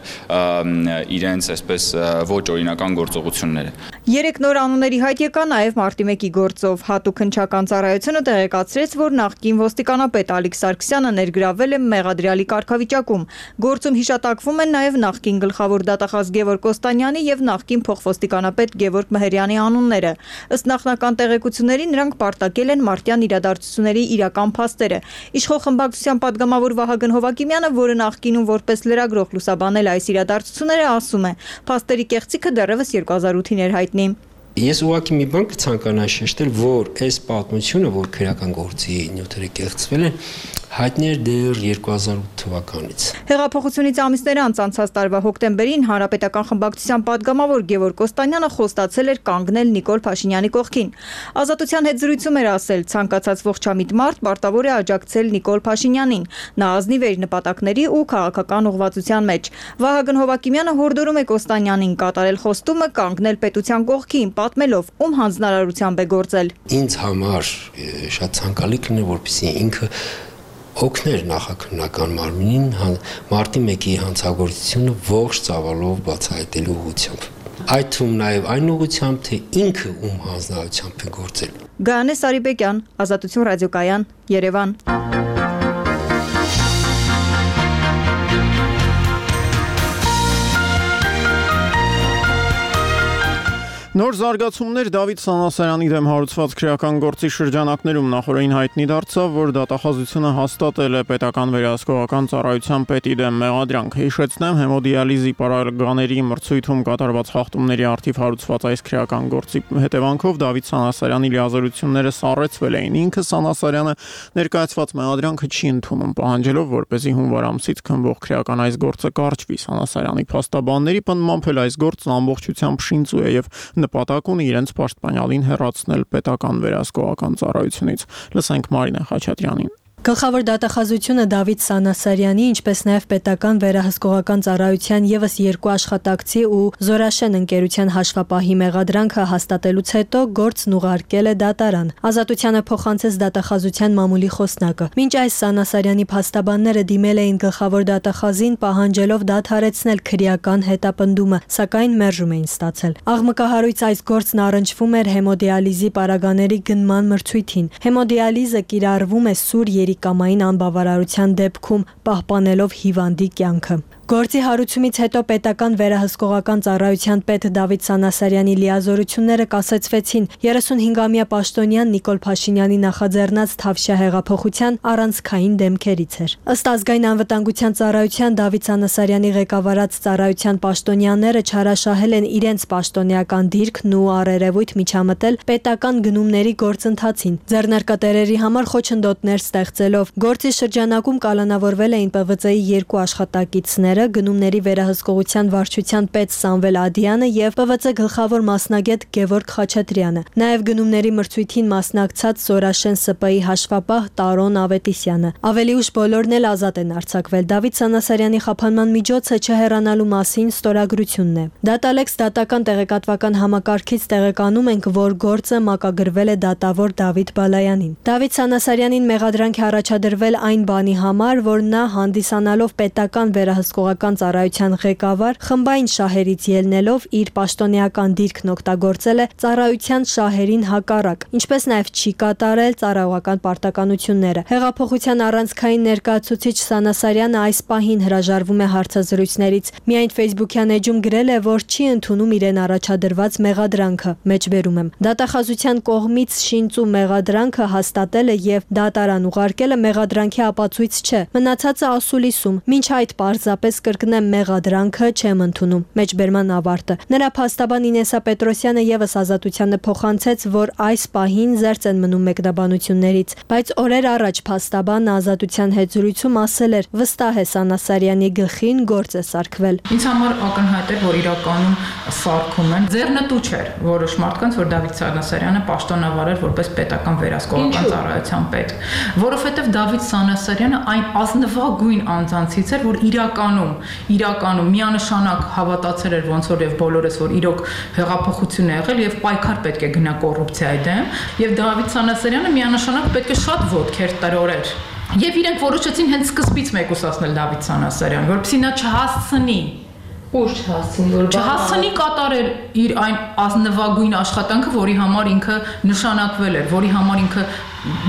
իրենց այսպես ոչ օրինական գործողությունները։
Երեք նոր անունների հայտ եկա նաեւ մարտի մեկի գործով հատուկ հնչական ծառայությունը տեղեկացրեց, որ նախկին ոստիկանապետ Ալիկ Սարգսյանը ներգրավել է մեղադրյալի կարգավիճակում։ Գործում հիշատակվում են նաեւ նախկին գլխավոր դատախազ Գևորգ Կոստանյանի եւ նախկին փոխվոստիկանապետ Գևորգ Մեհերյանի անունները։ Ըստ նախնական տեղեկությունների նրանք պարտակել են մարտյան իրադարձությունների իրական փաստերը։ Իշխող խմբակցության падգամավոր Վահագն Հովակիմյանը, որը նախկինում որպես լրագրող լուսաբանել այս իրադարձությունները, ասում է. «Փաստերի կեղծիքը դեռևս երկու հազար ութին էր հայտնի»։
Ես ուղղակի մի բան կցանկանայի շեշտել, որ այս պատմությունը, որ քրեական գործի նյութերը կեղծվել են, հայտնի էր դեռ երկու հազար ութ թվականից։
Հեղափոխությունից ամիսներ անց անցած տարվա հոկտեմբերին Հանրապետական խմբակցության падգամավոր Գևորգ Կոստանյանը խոստացել էր կանգնել Նիկոլ Փաշինյանի կողքին։ Ազատության հետ զրույցում էր ասել, ցանկացած ողջամիտ մարդ պարտավոր է աջակցել Նիկոլ Փաշինյանին։ Նա ազնիվ էր նպատակների ու քաղաքական ուղղվածության մեջ։ Վահագն Հովակիմյանը հորդորում է Կոստանյանին կատարել խոստումը կանգնել պետության կողքին, պատմելով, ում հանձնարարությամբ է գործել։
Ինձ համար շատ ցանկալի կներ, որպեսզի ինքը օգներ նախաքննական մարմինին մարտի մեկի հանցագործությունը ողջ ծավալով բացահայտելու ուղղությամբ։ Այդ թվում նաև այն ուղղությամբ, թե ինքը ում հանձնարարությամբ է գործել։
Գայանե Սարիբեկյան, Ազատություն ռադիոկայան, Երևան։
Նոր զարգացումներ Դավիթ Սանասարյանի դեմ հարուցված քրեական գործի շրջանակներում նախորդին հայտնի դարձավ, որ դատախազությունը հաստատել է պետական վերահսկողական ծառայության պետի դեմ մեղադրանք։ Հիշեցնեմ, հեմոդիալիզի պարագաների մրցույթում կատարված խախտումների առթիվ հարուցված այս քրեական գործի հետևանքով Դավիթ Սանասարյանի լիազորությունները սառեցվել էին։ Ինքը Սանասարյանը ներկայացված մեղադրանքը չի ընդունում, պահանջելով, որպեսզի հունվար ամսից քննվող քրեական այս գործը կարճվի։ Սանասարյանի փաստաբանների պնդմամբ էլ այս գործն ամբողջությամբ շինծու է եւ նպատակ ունի իրենց պաշտպանյալին հեռացնել պետական վերահսկողական ծառայությունից։ Լսենք Մարինե Խաչատրյանին։
Գլխավոր դատախազությունը Դավիթ Սանասարյանի, ինչպես նաև պետական վերահսկողական ծառայության եւս երկու աշխատակցի ու Զորաշեն ընկերության հաշվապահի մեղադրանքը հաստատելուց հետո գործն ուղարկել է դատարան։ Ազատությանը փոխանցեց դատախազության մամուլի խոսնակը։ Մինչ այս Սանասարյանի փաստաբանները դիմել էին գլխավոր դատախազին, պահանջելով դադարեցնել քրեական հետապնդումը, սակայն մերժում էին ստացել։ Աղմկահարույց այս գործն առնչվում էր հեմոդիալիզի պարագաների գնման մրցույթին։ Հեմոդիալիզը կիրառվում է սուր երիկամային անբավարարության դեպքում, պահպանելով հիվանդի կյանքը։ Գործի հարուցումից հետո պետական վերահսկողական ծառայության պետ Դավիթ Սանասարյանի լիազորությունները կասեցվեցին երեսունհինգամյա պաշտոնյան Նիկոլ Փաշինյանի նախաձեռնած Թավշյա հեղափոխության առանցքային դեմքերից էր։ Ըստ ազգային անվտանգության ծառայության Դավիթ Սանասարյանի ղեկավարած ծառայության պաշտոնյաները չարաշահել են իրենց պաշտոնեական դիրքն ու առերևույթ միջամտել պետական գնումների գործընթացին, ձեռնարկատերերի համար խոչընդոտներ ստեղծելով։ Գործի շրջանակում կալանավորվել էին Պ V C-ի երկու աշխատակիցներ, գնումների վերահսկողության վարչության պետ Սամվել Ադյանը եւ Պ V C գլխավոր մասնագետ Գևորգ Խաչատրյանը, նաեւ գնումների մրցույթին մասնակցած Զորաշեն Ս Պ-ի հաշվապահ Տարոն Ավետիսյանը։ Ավելի ուշ բոլորն էլ ազատ են արձակվել։ Դավիթ Սանասարյանի խափանման միջոցը չհեռանալու մասին ստորագրությունն է։ Դատալեքս դատական տեղեկատվական համակարգից տեղեկանում ենք, որ գործը մակագրվել է դատավոր Դավիթ Բալայանին։ Դավիթ Սանասարյանին մեղադրանք է առաջադրվել այն բանի համար, որ նա հանդիսանալով պետական վերահսկողական վերահսկողական ծառայության ղեկավար խմբային շահերից ելնելով իր պաշտոնեական դիրքն օգտագործել է ծառայության շահերին հակառակ, ինչպես նաև չի կատարել ծառայողական պարտականությունները։ Հեղափոխության առանցքային ներկայացուցիչ Սանասարյանը այս պահին հրաժարվում է հարցազրույցներից։ Միայն Facebook-յան էջում գրել է, որ չի ընդունում իրեն առաջադրված մեղադրանքը։ Մեջբերում եմ։ Դատախազության կողմից շինծու մեղադրանքը հաստատել է եւ դատարան ուղարկելը մեղադրանքի ապացույց չէ։ Մնացածը ասուլիսում։ Մինչ այդ պարզապես կրկնեմ մեղադրանքը չեմ ընդունում։ Մեջբերման ավարտը։ Նրա փաստաբան Ինեսա Պետրոսյանը եւս Ազատությանը փոխանցեց, որ այս պահին զերծ են մնում մեկնաբանություններից, բայց օրեր առաջ փաստաբանը Ազատության հետ զրույցում ասել էր. վստահ է Սանասարյանի գլխին գործ է սարքվել։
Ինձ համար ակնհայտ էր, որ իրականում սարքում են։ Ձեռնտու չէր որոշ մարդկանց, որ Դավիթ Սանասարյանը պաշտոնավար էր որպես պետական վերահսկողական ծառայության պետ, որովհետև Դավիթ Սանասարյանը այն ազնվագույն անձանցից էր, որ իրականում, իրականում միանշանակ հավատացել էր ոնց որ եւ բոլորս, որ իրոք հեղափոխություն է եղել եւ պայքար պետք է գնա կոռուպցիայի դեմ, եւ Դավիթ Սանասարյանը միանշանակ պետք է շատ ոտքեր տրորեր։ Եվ իրենք որոշեցին հենց սկզբից մեկուսացնել Դավիթ Սանասարյանին, որպեսզի նա չհասցնի
Ուշ հասցին, որ
չհասցնի կատարել իր այն ազնվագույն աշխատանքը, որի համար ինքը նշանակվել էր, որի համար ինքը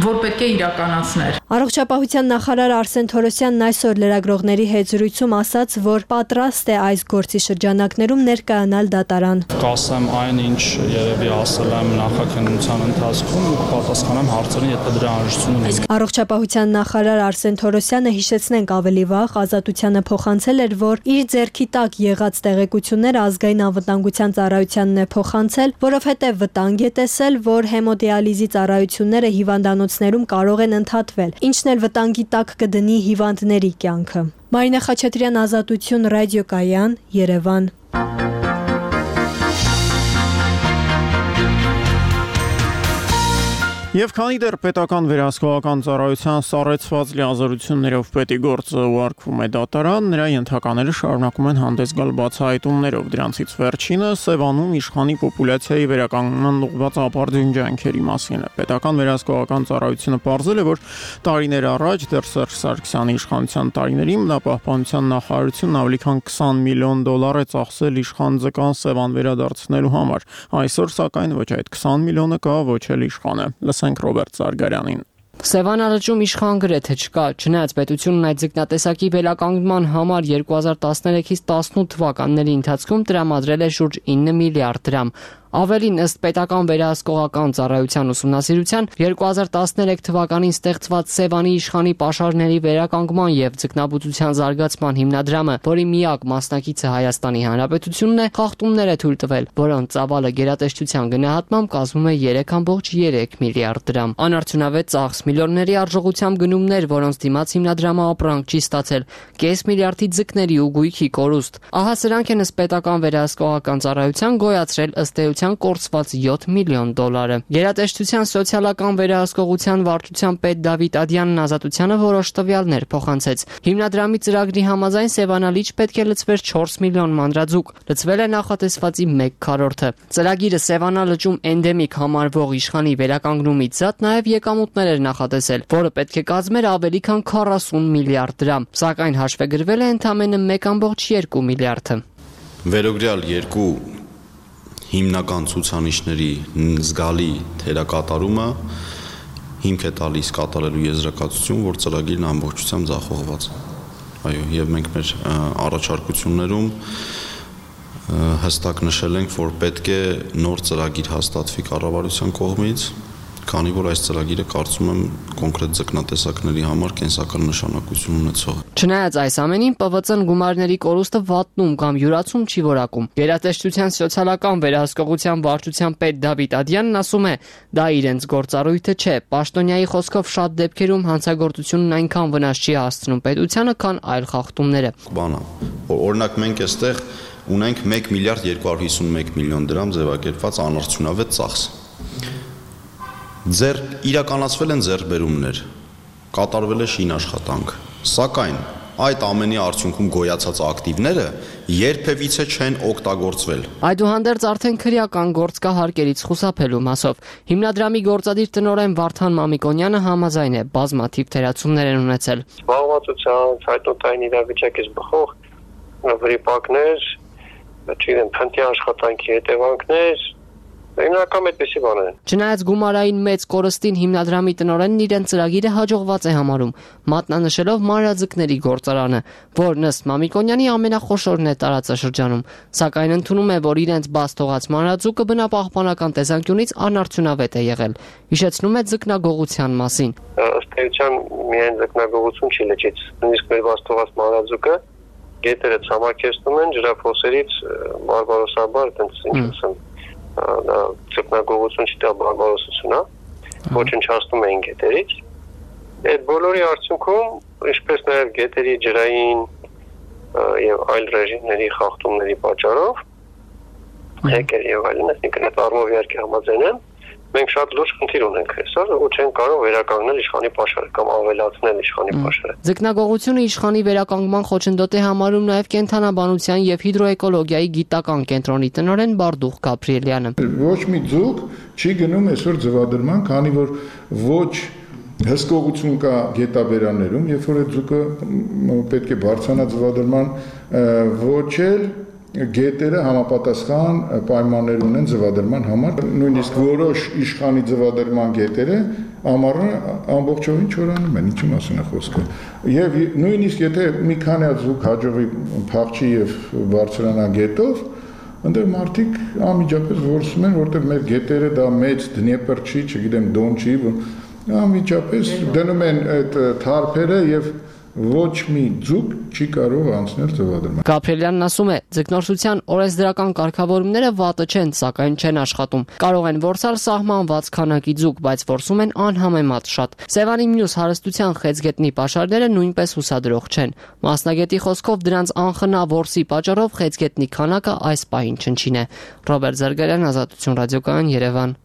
որ պետք է իրականացներ։
Առողջապահության նախարար Արսեն Թորոսյանն այսօր լրագրողների հետ զրույցում ասաց, որ պատրաստ է այս գործի շրջանակներում ներկայանալ դատարան։
Կասեմ այն, ինչ երևի ասել եմ նախաքննության ընթացքում, պատասխանեմ հարցերին, եթե դրա անհրաժեշտություն ունի։
Առողջապահության նախարար Արսեն Թորոսյանը, հիշեցնենք ավելի վաղ, Ազատությանը փոխանցել էր, որ իր ձեռքի տակ եղած տեղեկությունները ազգային անվտանգության ծառայությանն է փոխանցել, որովհետև վտանգ է տեսել, որ հեմոդիալիզի ծառայությունները հիվանդանոցներում կարող են ընդհատվել, ինչն էլ վտանգի տակ կդնի հիվանդների կյանքը։ Մարինա Խաչատրյան, Ազատություն, ռադիոկայան, Երևան։
Եվ քանի դեռ պետական վերահսկողական ծառայության սառեցված լիազորություններով պետի գործը ուղարկվում է դատարան, նրա ենթակաները շարունակում են հանդես գալ բացահայտումներով։ Դրանցից վերջինը Սևանում իշխանի պոպուլյացիայի վերականգնման ուղղված ապարդյուն ջանքերի մասին է։ Պետական վերահսկողական ծառայությունը պարզել է, որ տարիներ առաջ դեռ Սերժ Սարգսյանի իշխանության տարիներին բնապահպանության նախարարությունն ավելի քան քսան միլիոն դոլար է ծախսել իշխան ձկան Սևան վերադարձնելու համար։ Այսօր սակայն ոչ այդ քսան միլիոնը կա, ոչ էլ իշխանը։ Ռոբերտ Զարգարյանին։
Սևան ալջում իշխան գրեթե չկա, չնայած պետությունն այդ ձկնատեսակի վերականգնման համար երկու հազար տասներեքից տասնութ թվականների ընթացքում տրամադրել է շուրջ ինը միլիարդ դրամ։ Ավելին, ըստ պետական վերահսկողական ծառայության ուսումնասիրության, երկու հազար տասներեք թվականին ստեղծված Սևանի իշխանի պաշարների վերականգնման եւ ձկնաբուծության զարգացման հիմնադրամը, որի միակ մասնակիցը Հայաստանի Հանրապետությունն է, խախտումներ է թույլ տվել, որոնց ծավալը գերատեսչության գնահատմամբ կազմում է երեք կόμμα երեք միլիարդ դրամ։ Անարդյունավետ ծախս, միլիոնների արժողությամբ գնումներ, որոնց դիմաց հիմնադրամը ապրանք չի ստացել, կես միլիարդի ձկների ու գույքի կորուստ։ Ահա սրանք են ըստ պետական վերահսկողական ծառայության գոյացրել ըստ էության կորցված յոթ միլիոն դոլարը։ Գերատեսչության սոցիալական վերահսկողության վարչության պետ Դավիթ Ադյանն Ազատությանը որոշ տվյալներ փոխանցեց։ Հիմնադրամի ծրագրի համաձայն Սևանալիճ պետք է լցվեր չորս միլիոն մանրաձուկ, լցվել է նախատեսվածի մեկ քառորդը։ Ծրագիրը Սևանալճում էնդեմիկ համարվող իշխանի վերականգնումից զատ նաև եկամուտներ էր նախատեսել, որը պետք է կազմեր ավելի քան քառասուն միլիարդ դրամ, սակայն հաշվեգրվել է ընդամենը մեկ կόμμα երկու միլիարդը։
Վերոգրյալ երկու հիմնական ցուցանիշների զգալի թերակատարումը հիմք է տալիս կատարելու եզրակացություն, որ ծրագիրն ամբողջությամբ ձախողված է։ Այո, եւ մենք մեր առաջարկություններում հստակ նշել ենք, որ պետք է նոր ծրագիր հաստատվի կառավարության կողմից, քանի որ այս ծրագիրը կարծում եմ կոնկրետ ձկնատեսակների համար կենսական նշանակություն ունեցող է։
Չնայած այս ամենին, Պ V C-ն գումարների կորուստը վատնում կամ յուրացում չի որակում։ Գերատեսչության սոցիալական վերահսկողության վարչության պետ Դավիթ Ադյանն ասում է, դա իրենց գործառույթը չէ։ Պաշտոնյայի խոսքով շատ դեպքերում հանցագործությունն այնքան վնաս չի հասցնում պետությանը, քան այլ խախտումները։
Բանա, օրինակ մենք այստեղ ունենք մեկ միլիարդ երկու հարյուր հիսունմեկ միլիոն դրամ ձևակերպված անարդյունավետ ծախս։ Ձեր իրականացվել են ձեռքբերումներ, կատարվել է շինաշխատանք, սակայն այդ ամենի արդյունքում գոյացած ակտիվները երբևիցե չեն օգտագործվել։
Այդուհանդերձ արդեն քրեական գործ կա հարկերից խուսափելու մասով։ Հիմնադրամի գործադիր տնօրեն Վարդան Մամիկոնյանը համաձայն է, բազմաթիվ թերացումներ են ունեցել։
Զբաղվածության, ցայտոտային իրավիճակից բխող վրիպակներ, չգիտեմ, փնթի աշխատանքի հետևանքներ, Հիմնական այդպիսի բաներ են։
Չնայած գումարային մեծ կորստին հիմնադրամի տնօրենն իրեն ծրագիրը հաջողված է համարում, մատնանշելով մանրաձկների գործարանը, որն ըստ Մամիկոնյանի ամենախոշորն է տարածաշրջանում, սակայն ընդունում է, որ իրենց բաց թողած մանրաձուկը բնապահպանական տեսանկյունից անարդյունավետ է եղել։ Հիշեցնում է ձկնագողության մասին։
Ըստ էության միայն ձկնագողություն չի լճից, նույնիսկ մեր բաց թողած մանրաձուկը գետերը ցամաքեցնում են ջրափոսերից բարբարոսաբար, այդպես ինչ ասեմ դա ձկնագողություն չի, դա բարբարոսություն է, ոչնչացնում էին գետերից։ Այդ բոլորի արդյունքում, ինչպես նաև գետերի ջրային եւ այլ ռեժիմների խախտումների պատճառով, հեկեր եւ այլն, այսինքն այդ առումով իհարկե համաձայն եմ, մենք շատ լուրջ խնդիր ունենք այսօր, ու չենք կարող վերականգնել իշխանի պաշարը կամ ավելացնել իշխանի պաշարը։
Ձկնագողությունը իշխանի վերականգնման խոչընդոտ է համարում նաև կենթանաբանության եւ հիդրոէկոլոգիայի գիտական կենտրոնի տնօրեն Բարդուղ Գաբրիելյանը։
Ոչ մի ձուկ չի գնում այսօր ձվադրման, քանի որ ոչ հսկողություն կա գետաբերաններում, երբ որ այդ ձուկը պետք է բարձրանա ձվադրման, ոչ էլ գետերը համապատասխան պայմաններ ունեն ձվադրման համար, նույնիսկ որոշ իշխանի ձվադրման գետերը ամառը ամբողջովին չորանում են, ինչի մասին է խոսքը։ Եվ նույնիսկ եթե մի քանի ձուկ հաջողի փախչի եւ բարձրանա գետով, այնտեղ մարդիկ անմիջապես որսում են, որտեղ մեր գետերը դա մեծ Դնեպր չի, չգիտեմ, Դոն չի, անմիջապես դնում են այդ թարփերը եւ ոչ մի ձուկ չի կարող անցնել ձվադրման։
Գաբրիելյանն ասում է, ձկնորսության օրենսդրական կարգավորումները վատը չեն, սակայն չեն աշխատում։ Կարող են որսալ սահմանված քանակի ձուկ, բայց որսում են անհամեմատ շատ։ Սևանի մյուս հարստության խեցգետնի պաշարները նույնպես հուսադրող չեն։ Մասնագետի խոսքով դրանց անխնա որսի պատճառով խեցգետնի քանակը այս պահին չնչին է։ Ռոբերտ Զարգարյան, Ազատություն ռադիոկայան, Երևան։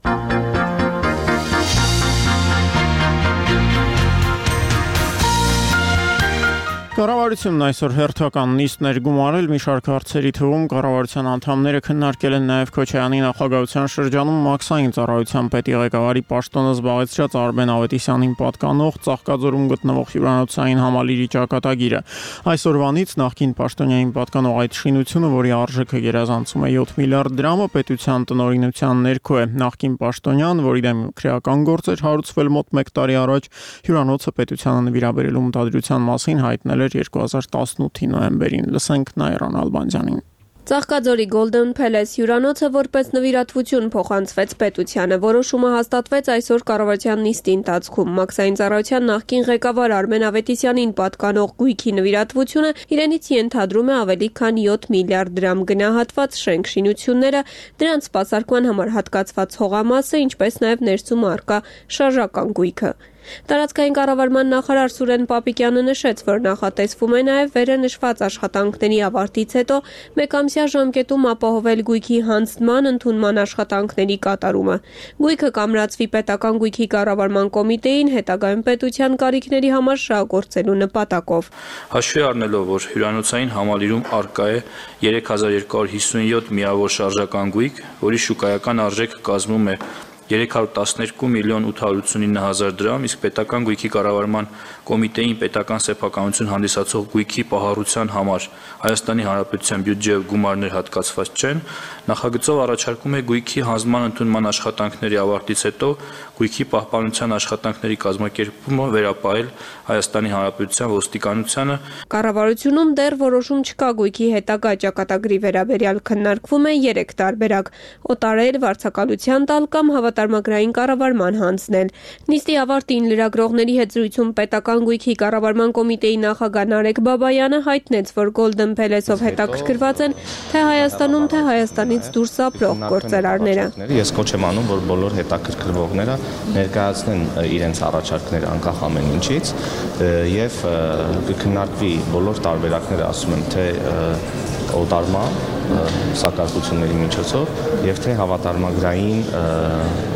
Կառավարությունն այսօր հերթական նիստ ներգումարել մի շարք հարցերի թվում կառավարության անդամները քննարկել են նաև Քոչարյանի նախագահության շրջանում մաքսային ծառայության պետի ղեկավարի պաշտոնը զբաղեցրած Արմեն Ավետիսյանին պատկանող Ծաղկաձորում գտնվող հյուրանոցային համալիրի ճակատագիրը։ Այսօրվանից նախկին պաշտոնյային պատկանող այդ շինությունը, որի արժեքը գերազանցում է յոթ միլիարդ դրամը, պետության տնօրինության ներքո է։ Նախկին պաշտոնյան, որի դեմ քրեական գործ էր հարուցվել մոտ մեկ տարի առաջ, հյուրանոցը պետությանը նվիրաբերելու մտադրության մասին հայտնել երկու հազար տասնութի նոյեմբերին։ Լսենք Նայրան Ալբանդյանին։
Ծաղկաձորի Golden Palace հյուրանոցը որպես նվիրատվություն փոխանցվեց պետությանը։ Որոշումը հաստատվեց այսօր կառավարության նիստի ընթացքում։ Մաքսային ծառայության նախկին ղեկավար Արմեն Ավետիսյանին պատկանող գույքի նվիրատվությունը իրենից ենթադրում է ավելի քան յոթ միլիարդ դրամ գնահատված շենք-շինությունները, դրանց սպասարկման համար հատկացված հողամասը, ինչպես նաև ներսում առկա շարժական գույքը։ Տարածքային կառավարման նախարար Սուրեն Պապիկյանը նշեց, որ նախատեսվում է նաև վերը նշված աշխատանքների ավարտից հետո մեկամսյա ժամկետում ապահովել գույքի հանձնման ընդունման աշխատանքների կատարումը։ Գույքը կամրացվի պետական գույքի կառավարման կոմիտեին հետագայում պետության կարիքների համար շահագործելու նպատակով։
Հաշվի առնելով, որ հյուրանոցային համալիրում առկա է երեք հազար երկու հարյուր հիսունյոթ միավոր շարժական գույք, որի շուկայական արժեքը կազմում է երեք հարյուր տասներկու միլիոն ութ հարյուր ութսունինը հազար դրամ, իսկ պետական գույքի կառավարման կոմիտեին պետական սեփականություն հանդիսացող գույքի պահառության համար Հայաստանի Հանրապետության բյուջեով գումարներ հատկացված չեն, նախագծով առաջարկում է գույքի հանձնման ընդունման աշխատանքների ավարտից հետո գույքի պահպանության աշխատանքների կազմակերպումը վերապահել Հայաստանի Հանրապետության ոստիկանությանը։
Կառավարությունում դեռ որոշում չկա գույքի հետագա ճակատագրի վերաբերյալ, քննարկվում է երեք տարբերակ՝ օտարել, վարձակալության տալ կամ հավատարմագրային կառավարման հանձնել։ Նիստի ավարտին լրագրողների հետ զրույցում պետական գույքի կառավարման կոմիտեի նախագահ Նարեկ Բաբայանը հայտնեց, որ Golden Palace-ով հետաքրքրված են թե Հայաստանում, թե Հայաստանից դուրս ապրող գործարարները։
Ես կոչ եմ անում, որ բոլոր հետաքրքրվողները ներկայացնեն իրենց առաջարկները անկախ ամեն ինչից եւ կքննարկվի բոլոր տարբերակները, ասում եմ, թե օտարման սակարկությունների միջոցով եւ թե հավատարմագրային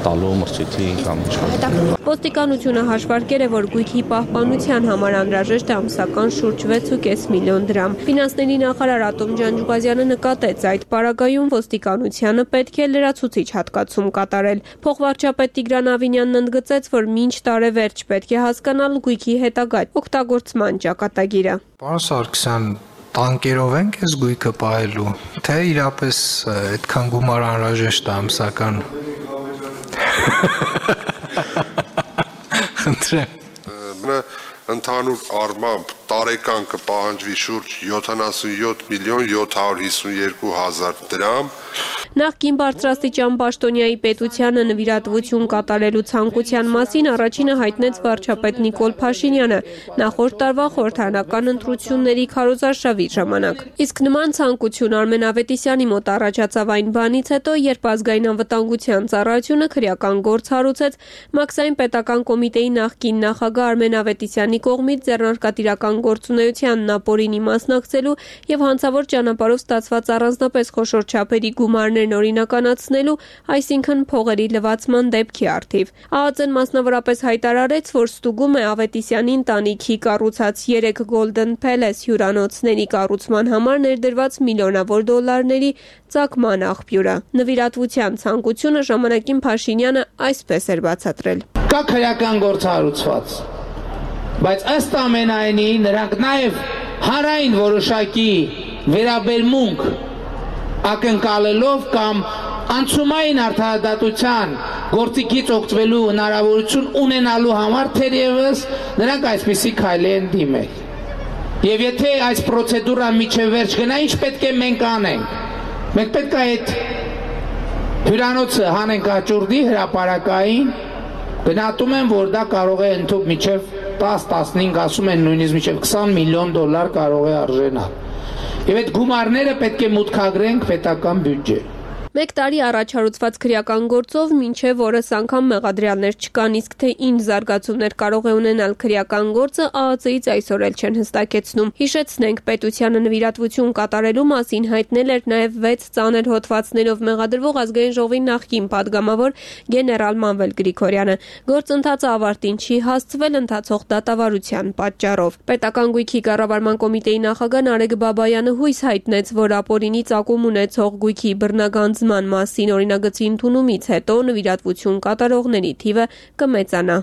տալու մրցույթի կամ իշխանության։
Ոստիկանությունը հաշվարկել է, որ գույքի պահպանության համար անհրաժեշտ է ամսական շուրջ վեց ու կես միլիոն դրամ։ Ֆինանսների նախարար Ատոմ Ջանջուղազյանը նկատեց, այդ պարագայում ոստիկանությանը պետք է լրացուցիչ հատկացում կատարել։ Փոխվարչապետ Տիգրան Ավինյանն ընդգծեց, որ մինչ տարեվերջ պետք է հասկանալ գույքի հետագա օգտագործման ճակատագիրը։
Պարոն Սարգսյան,
տանկերով ենք այս գույքը պահելու, թե իրապես այդքան գումար անհրաժեշտ է ամսական։
Խնդրեմ։ Ընդհանուր առմամբ տարեկան կպահանջվի շուրջ յոթանասունյոթ միլիոն յոթ հարյուր հիսունյոթ հազար դրամ։
Նախկին բարձրաստիճան պաշտոնյայի պետությանը նվիրատվություն կատարելու ցանկության մասին առաջինը հայտնեց վարչապետ Նիկոլ Փաշինյանը նախորդ տարվա խորհրդարանական ընտրությունների քարոզարշավի ժամանակ։ Իսկ նման ցանկություն Արմեն Ավետիսյանի մոտ առաջացավ այն բանից հետո, երբ ազգային անվտանգության ծառայությունը քրեական գործ հարուցեց Մաքսային պետական կոմիտեի նախկին նախագահ Արմեն Ավետիսյանի կողմից ձեռնարկատիրական գործունեությանն ապօրինի մասնակցելու եւ հանցավոր ճանապարհով ստացված առանձնապես խոշոր չափերի գումարներն օրինականացնելու, այսինքն փողերի լվացման դեպքի առթիվ։ ԱԱԾ-ն մասնավորապես հայտարարեց, որ ստուգում է Ավետիսյանի ընտանիքի կառուցած երեք Golden Palace հյուրանոցների կառուցման համար ներդրված միլիոնավոր դոլարների ծագման աղբյուրը։ Նվիրատվության ցանկությունը ժամանակին Փաշինյանը այսպես էր բացատրել։
Կա քրեական գործ հարուցված, բայց ըստ ամենայնի նրանք նաև հանրային որոշակի վերաբերմունք ակնկալելով կամ անցումային արդարադատության գործիքից օգտվելու հնարավորություն ունենալու համար թերևս նրանք այսպիսի քայլի են դիմել։ Եվ եթե այս պրոցեդուրան միջև վերջ գնա, ինչ պետք է մենք անենք։ Մենք պետք է այդ հյուրանոցը հանենք աճուրդի հրապարակային, գնահատում են, որ դա կարող է ընդհանուր միջև տաս տասնհինգ, ասում են նույնիսկ միջև քսան միլիոն դոլար կարող է արժենալ։ Եվ այդ գումարները պետք է մուտքագրենք պետական բյուջե։
Մեկ տարի առաջ հարուցված քրեական գործով մինչև օրս անգամ մեղադրյալներ չկան, իսկ թե ինչ զարգացումներ կարող է ունենալ քրեական գործը ԱԱԾ-ից այսօր էլ չեն հստակեցնում։ Հիշեցնենք, պետությանը նվիրատվություն կատարելու մասին հայտնել էր նաև վեց ծանր հոդվածներով մեղադրվող ազգային ժողովի նախկին падգամավոր գեներալ Մանվել Գրիգորյանը։ Գործընթացը ավարտին չի հասցվել ընթացող դատավարության պատճառով։ Պետական գույքի կառավարման կոմիտեի նախագահ Նարեկ Բաբայանը հույս հայտնեց, որ ապօրինի ծագում ունեցող գույքի բռնագանձ մասին օրինագծի ընդունումից հետո նվիրատվություն կատարողների թիվը կմեծանա։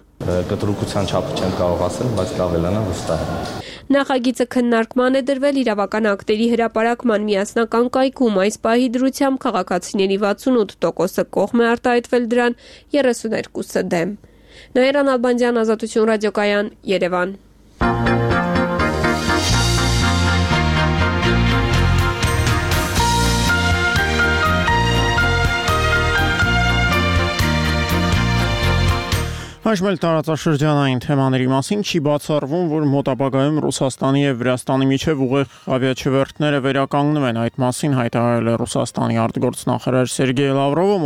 Կտրուկության չափը չեմ կարող ասել, բայց կավելանա վստահ եմ։
Նախագիծը քննարկման է դրվել իրավական ակտերի հրապարակման միասնական կայքում։ Այս պահի դրությամբ քաղաքացիների վաթսունութ տոկոսը կողմ է արտահայտվել դրան, երեսուներկուսը դեմ։ Նաիրա Նալբանդյան, Ազատություն ռադիոկայան, Երևան։
Այժմ էլ տարածաշրջանային թեմաների մասին չի բացառվում, որ մոտ ապագայում Ռուսաստանի եւ Վրաստանի միջև ուղիղ ավիաչվերթները վերականգնվում են։ Այդ մասին հայտարարել է Ռուսաստանի արտգործնախարար Սերգեյ Լավրովը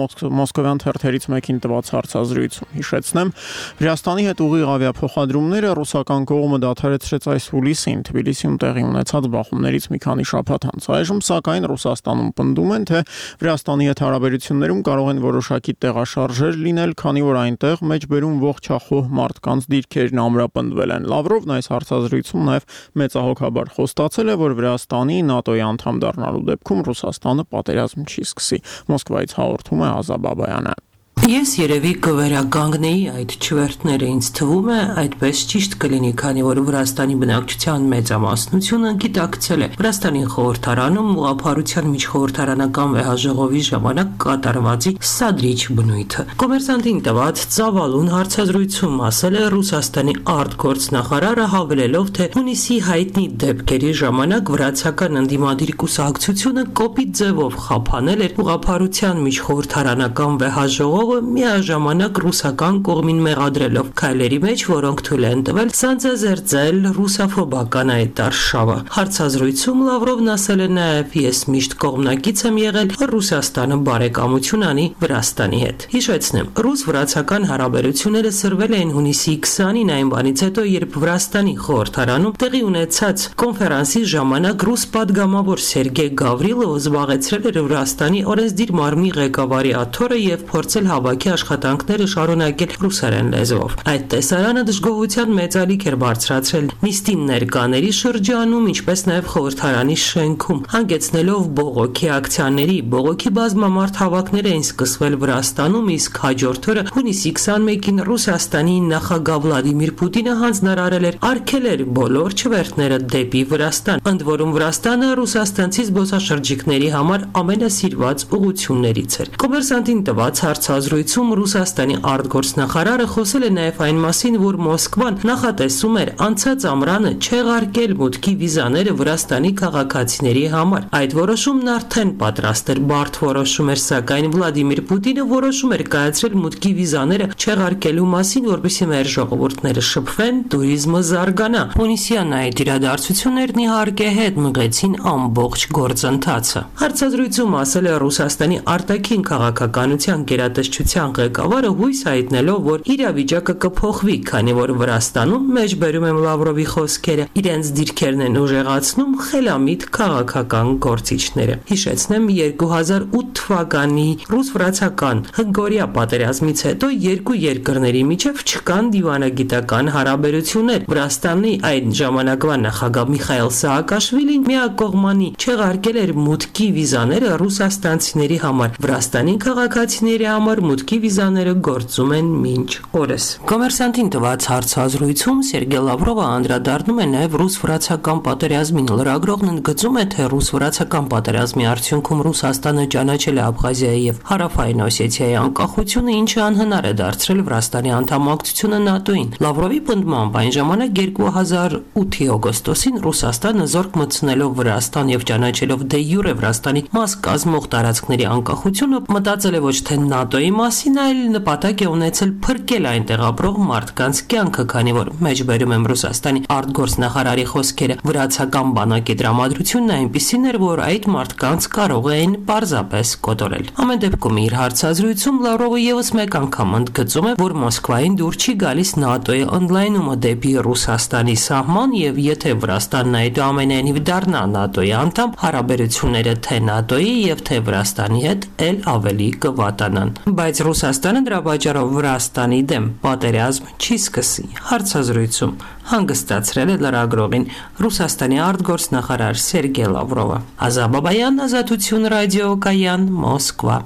մոսկովյան թերթերից մեկին տված հարցազրույցում։ Հիշեցնեմ, Վրաստանի հետ ուղիղ ավիափոխադրումները ռուսական կողմը դադարեցրեց այս հուլիսին Թբիլիսիում տեղի ունեցած բախումներից մի քանի շաբաթ անց։ Այժմ սակայն Ռուսաստանում պնդում են, թե Վրաստանի հետ հարաբերություններում կարող են որոշակի տեղաշարժեր լինել, քանի որ այնտեղ մեջբերում ողջախոհ մարդկանց դիրքերն ամրապնդվել են։ Լավրովն այս հարցազրույցում նաև մեծահոգաբար խոստացել է, որ Վրաստանի ՆԱՏՕ-ի անդամ դառնալու դեպքում Ռուսաստանը պատերազմ չի սկսի։ Մոսկվայից հաղորդում է Ազա Բաբայանը։
Ես երևի կվերականգնեի այդ չվերթները, ինձ թվում է այդպես ճիշտ կլինի, քանի որ Վրաստանի բնակչության մեծամասնությունը գիտակցել է Վրաստանի խորհրդարանում ուղղափառության միջխորհրդարանական վեհաժողովի ժամանակ կատարվածի սադրիչ բնույթը։ Կոմերսանտին տված ծավալուն հարցազրույցում ասել է Ռուսաստանի արտգործնախարարը, հավելելով, թե հունիսի հայտնի դեպքերի ժամանակ վրացական ընդդիմադիր կուսակցությունը կոպիտ ձևով խափանել էր ուղղափառության միջխորհրդարանական վեհաժողովը միաժամանակ ռուսական կողմին մեղադրելով քայլերի մեջ, որոնք թույլ են տվել սանձազերծել ռուսաֆոբական այդ արշավը։ Հարցազրույցում Լավրովն ասել է նաև, ես միշտ կողմնակից եմ եղել Ռուսաստանը բարեկամություն անի Վրաստանի հետ։ Հիշեցնեմ, ռուս-վրացական հարաբերությունները սրվել էին հունիսի քսանին, այն բանից հետո, երբ Վրաստանի խորհրդարանում տեղի ունեցած կոնֆերանսի ժամանակ ռուս падգամավոր Սերգեյ Գավրիլովը զբաղեցրել էր Վրաստանի օրենսդիր մարմնի ղեկավարի աթոռը եւ փորձել հավաքի աշխատանքները շարունակել ռուսերեն լեզվով։ Այդ տեսարանը դժգոհության մեծ ալիք էր բարձրացրել նիստին ներկաների շրջանում, ինչպես նաև խորհրդարանի շենքում, հանգեցնելով բողոքի ակցիաների։ Բողոքի բազմամարդ հավաքներ էին սկսվել Վրաստանում, իսկ հաջորդ օրը հունիսի քսանմեկին Ռուսաստանի նախագահ Վլադիմիր Պուտինը հանձնարարել էր արգելել բոլոր չվերթները դեպի Վրաստան, ընդ որում Վրաստանը ռուսաստանցի զբոսաշրջիկների համար ամենասիրված ուղղություններից էր։ Կոմերսանտին տված հարցազրույցում Ռուսաստանի արտգործնախարարը խոսել է նաև այն մասին, որ Մոսկվան նախատեսում էր անցած ամռանը չեղարկել մուտքի վիզաները Վրաստանի քաղաքացիների համար։ Այդ որոշումն արդեն պատրաստ էր, բարդ որոշում էր, սակայն Վլադիմիր Պուտինը որոշում էր կայացրել մուտքի վիզաները չեղարկելու մասին, որպեսզի մեր ժողովուրդները շփվեն, туриզմը զարգանա։ Հունիսյան այդ իրադարձություններն իհարկե հետ մղեցին ամբողջ գործընթացը։ Հարցազրույցում ասել է Ռուսաստանի արտաքին քաղաքականության գերատեսչության ղեկավարը, հույս հայտնելով, որ իրավիճակը կփոխվի, քանի որ Վրաստանում, մեջբերում եմ Լավրովի խոսքերը, իրենց դիրքերն են ուժեղացնում խելամիտ քաղաքական գործիչները։ Հիշեցնեմ, երկու հազար ութ թվականի ռուս-վրացական հնգօրյա պատերազմից հետո երկու երկրների միջև չկան դիվանագիտական հարաբերություններ։ Վրաստանի այն ժամանակվա նախագահ Միխայիլ Սաակաշվիլին միակողմանի չեղարկել էր մուտքի վիզաները ռուսաստանցիների համար։ Վրաստանի քաղաքացիների համար մուտքի վիզաները գործում են մինչ օրս։ Կոմերսանտին տված հարցազրույցում Սերգեյ Լավրովը անդրադառնում է նաև ռուս-վրացական պատերազմին։ Լրագրողն ընդգծում է, թե ռուս-վրացական պատերազմի արդյունքում Ռուսաստանը ճանաչել է Աբխազիայի եւ Հարավային Օսեթիայի անկախությունը, ինչը անհնար է դարձրել Վրաստանի անդամակցությունը ՆԱՏՕ-ին։ Լավրովի պնդմամբ այն ժամանակ երկու հազար ութի օգոստոսին Ռուսաստանը զորք մտցնելով Վրաստան եւ ճանաչելով դե յուրե Վրաստանի մաս կազմող տարածքների անկախությունը, մտածել է ոչ թե ՆԱՏՕ-ի մասին, այլ նպատակ է ունեցել փրկել այնտեղ ապրող մարդկանց կյանքը, քանի որ մեջբերում եմ Ռուսաստանի արտգործնախարարի խոսքերը, վրացական բանակի դրամատրությունն այնպիսին էր, որ այդ մարդկանց կարող էին պարզապես կոտորել։ Ամեն դեպքում իր հարցազրույցում Լավրովը եւս մեկ անգամ ընդգծում է, որ Մոսկվային դուր չի գալիս ՆԱՏՕ-ի ընդլայնումը դեպի Ռուսաստանի սահման, եւ եթե Վրաստանն այդուամենայնիվ դառնա ՆԱՏՕ-ի անդամ, հարաբերությունները թե ՆԱՏՕ-ի եւ թե Վրաստանի հետ էլ ավելի կվատանան։ Բայց Ռուսաստանը դրա պատճառով Վրաստանի դեմ պատերազմ չի սկսի։ Հարցազրույցում հանգստացրել է լրագրողին Ռուսաստանի արտգործնախարար Սերգեյ Լավրովը։ Ազատ Բաբայան, Ազատություն ռադիոկայան, Մոսկվա։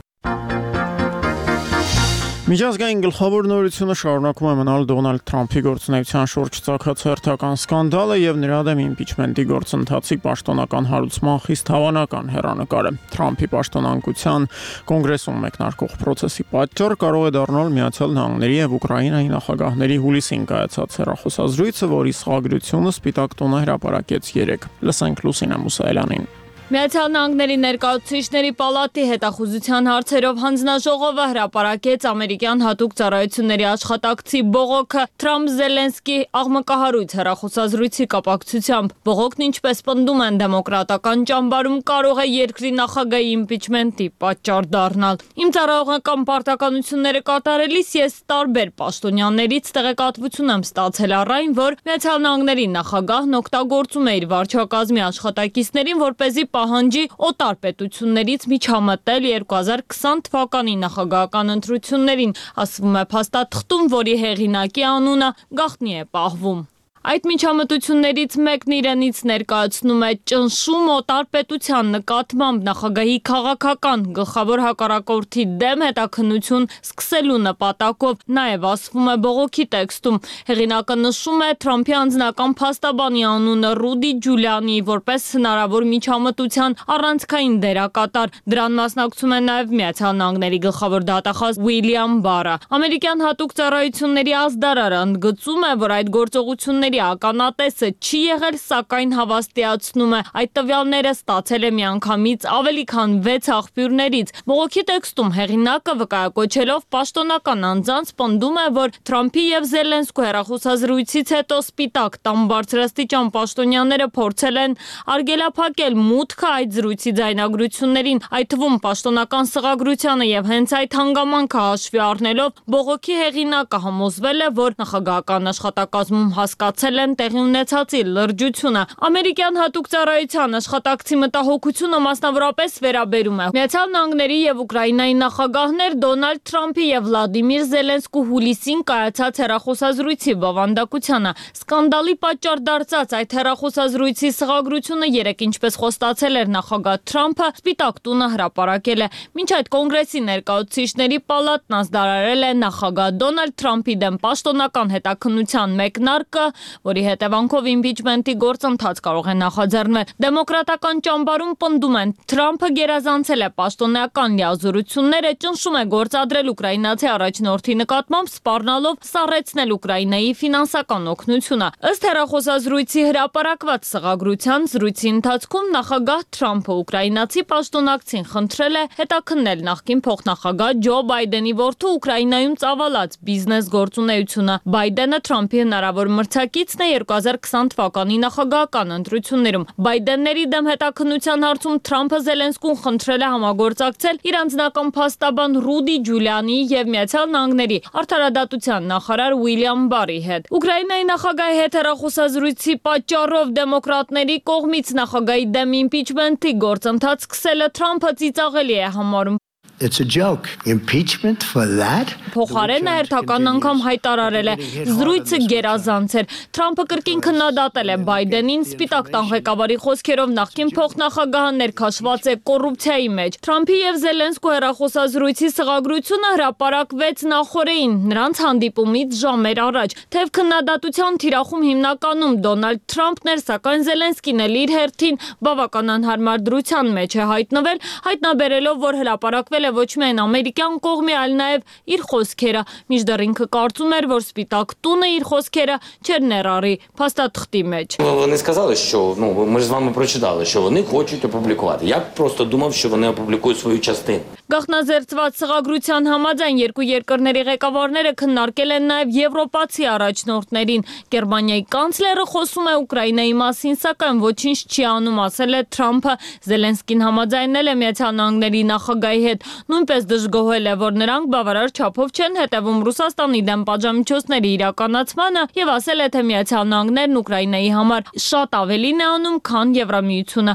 Միջազգային գլխավոր նորությունը շարունակում է մնալ Դոնալդ Թրամփի գործունեության շուրջ ծագած հերթական սկանդալը եւ նրա դեմ իմպիչմենտի գործընթացի պաշտոնական հարուցման խիստ հավանական հեռանկարը։ Թրամփի պաշտոնանկության կոնգրեսում մեկնարկող process-ի պատճառ կարող է դառնալ Միացյալ Նահանգների եւ Ուկրաինայի նախագահների հուլիսին կայացած հեռախոսազրույցը, որի սխագրությունը Սպիտակ տունը հրապարակեց երեկ։ Լսենք Լուսինա Մուսայելյանին։
Միացյալ Նահանգների ներկայացուցիչների պալատի հետախուզության հարցերով հանձնաժողովը հրապարակեց ամերիկյան հատուկ ծառայությունների աշխատակցի բողոքը Թրամփ-Զելենսկի աղմկահարույց հեռախոսազրույցի կապակցությամբ։ Բողոքն, ինչպես պնդում են դեմոկրատական ճամբարում, կարող է երկրի նախագահի իմպիչմենտի պատճառ դառնալ։ Իմ ծառայողական պարտականությունները կատարելիս ես տարբեր պաշտոնյաներից տեղեկատվություն եմ ստացել առ այն, որ Միացյալ Նահանգների նախագահն օգտագործում է իր վարչակազմի աշխատակիցներին, որպեսզի պահանջի օտար պետություններից միջամտել երկու հազար քսան թվականի նախագահական ընտրություններին, ասվում է փաստաթղթում, որի հեղինակի անունը գաղտնի է պահվում։ Այդ միջամտություններից մեկն իրենից ներկայացնում է ճնշում օտար պետության նկատմամբ նախագահի քաղաքական գլխավոր հակառակորդի դեմ հետաքննություն սկսելու նպատակով, նաև ասվում է բողոքի տեքստում։ Հեղինակը նշում է Թրամփի անձնական փաստաբանի անունը Ռուդի Ջուլիանի որպես հնարավոր միջամտության առանցքային դերակատար։ Դրան մասնակցում է նաև Միացյալ Նահանգների գլխավոր դատախազ Ուիլյամ Բարը։ Ամերիկյան հատուկ ծառայությունների ազդարարը ընդգծում է, որ այդ գործողությունները ականատեսը չի եղել, սակայն հավաստիացնում է այդ տվյալները ստացել է միանգամից ավելի քան վեց աղբյուրներից։ Բողոքի տեքստում հեղինակը վկայակոչելով պաշտոնական անձանց պնդում է, որ Թրամփի եւ Զելենսկու հեռախոսազրույցից հետո Սպիտակ տան բարձրաստիճան պաշտոնյաները փորձել են արգելափակել մուտքը այդ զրույցի ձայնագրություններին, այդ թվում պաշտոնական սղագրությանը, եւ հենց այդ հանգամանքը հաշվի առնելով բողոքի հեղինակը համոզվել է, որ նախագահական աշխատակազմում հասկացել ստացել են տեղի ունեցածի լրջությունը։ Ամերիկյան հատուկ ծառայության աշխատակցի մտահոգությունը մասնավորապես վերաբերում է Միացյալ Նահանգների եւ Ուկրաինայի նախագահներ Դոնալդ Թրամփի եւ Վլադիմիր Զելենսկու հուլիսին կայացած հեռախոսազրույցի բովանդակությանը։ Սկանդալի պատճառ դարձած այդ հեռախոսազրույցի սղագրությունը երեկ ինչպես խոստացել էր նախագահ Թրամփը, Սպիտակ տունը հրապարակել է։ Մինչ այդ կոնգրեսի ներկայացուցիչների պալատն ազդարարել է նախագահ Դոնալդ Թրամփի դեմ պաշտոնական հետաքննության մեկնարկը, որի հետևանքով իմպիչմենտի գործընթաց կարող է նախաձեռնվել։ Դեմոկրատական ճամբարում պնդում են, Թրամփը գերազանցել է պաշտոնական լիազորությունները, ճնշում է գործադրել ուկրաինացի առաջնորդի նկատմամբ, սպառնալով սառեցնել Ուկրաինայի ֆինանսական օգնությունը։ Ըստ հեռախոսազրույցի հրապարակված սղագրության, զրույցի ընթացքում նախագահ Թրամփը ուկրաինացի պաշտոնակցին խնդրել է հետաքննել նախկին փոխնախագահ Ջո Բայդենի որդու Ուկրաինայում ծավալած բիզնես գործունեությունը։ Բայդենը Թրամփի հնարավոր մրցակիցն է երկու հազար քսան թվականի նախագահական ընտրություններում։ Բայդենների դեմ հետաքննության հարցում Թրամփը Զելենսկուն խնդրել է համագործակցել իր անձնական փաստաբան Ռուդի Ջուլիանի եւ Միացյալ Նահանգների արդարադատության նախարար Ուիլյամ Բարի հետ։ Ուկրաինայի նախագահի հետ հեռախոսազրույցի պատճառով դեմոկրատների կողմից նախագահի դեմ իմպիչմենտի գործընթաց սկսելը Թրամփը ծիծաղելի է համարում։
It's a joke. Impeachment for that?
Փոխարենը հերթական անգամ հայտարարել է զրույցը գերազանց էր։ Թրամփը կրկին քննադատել է Բայդենին, Սպիտակ տան ղեկավարի խոսքերով նախկին փոխնախագահը ներքաշված է կոռուպցիայի մեջ։ Թրամփի եւ Զելենսկու հեռախոսազրույցի սղագրությունը հրապարակվեց նախօրեին, նրանց հանդիպումից ժամեր առաջ։ Թեև քննադատության թիրախում հիմնականում Դոնալդ Թրամփն էր, սակայն Զելենսկին էլ իր հերթին բավական անհարմար դրության մեջ է հայտնվել, հայտնաբերելով, որ հրապարակվել ոչ միայն ամերիկյան кողմի, այլ նաև իր խոսքերը, մինչդեռ ինքը կարծում էր, որ Սպիտակ տունը իր խոսքերը չեր ներառի փաստաթղթի մեջ։
Вони сказали, що, ну, ми ж з вами прочитали, що вони хочуть опублікувати. Я просто думав, що вони опублікують свою частину.
Գաղտնազերծված սղագրության համաձայն երկու երկրների ղեկավարները քննարկել են նաև եվրոպացի առաջնորդներին։ Գերմանիայի կանցլերը խոսում է Ուկրաինայի մասին, սակայն ոչինչ չի անում, ասել է Թրամփը։ Զելենսկին համաձայնել է Միացյալ Նահանգների նախագահի հետ, նույնպես դժգոհել է, որ նրանք բավարար չափով չեն հետևում Ռուսաստանի դեմ պատժամիջոցների իրականացմանը եւ ասել է, թե Միացյալ Նահանգներն Ուկրաինայի համար շատ ավելին է անում, քան Եվրամիությունը։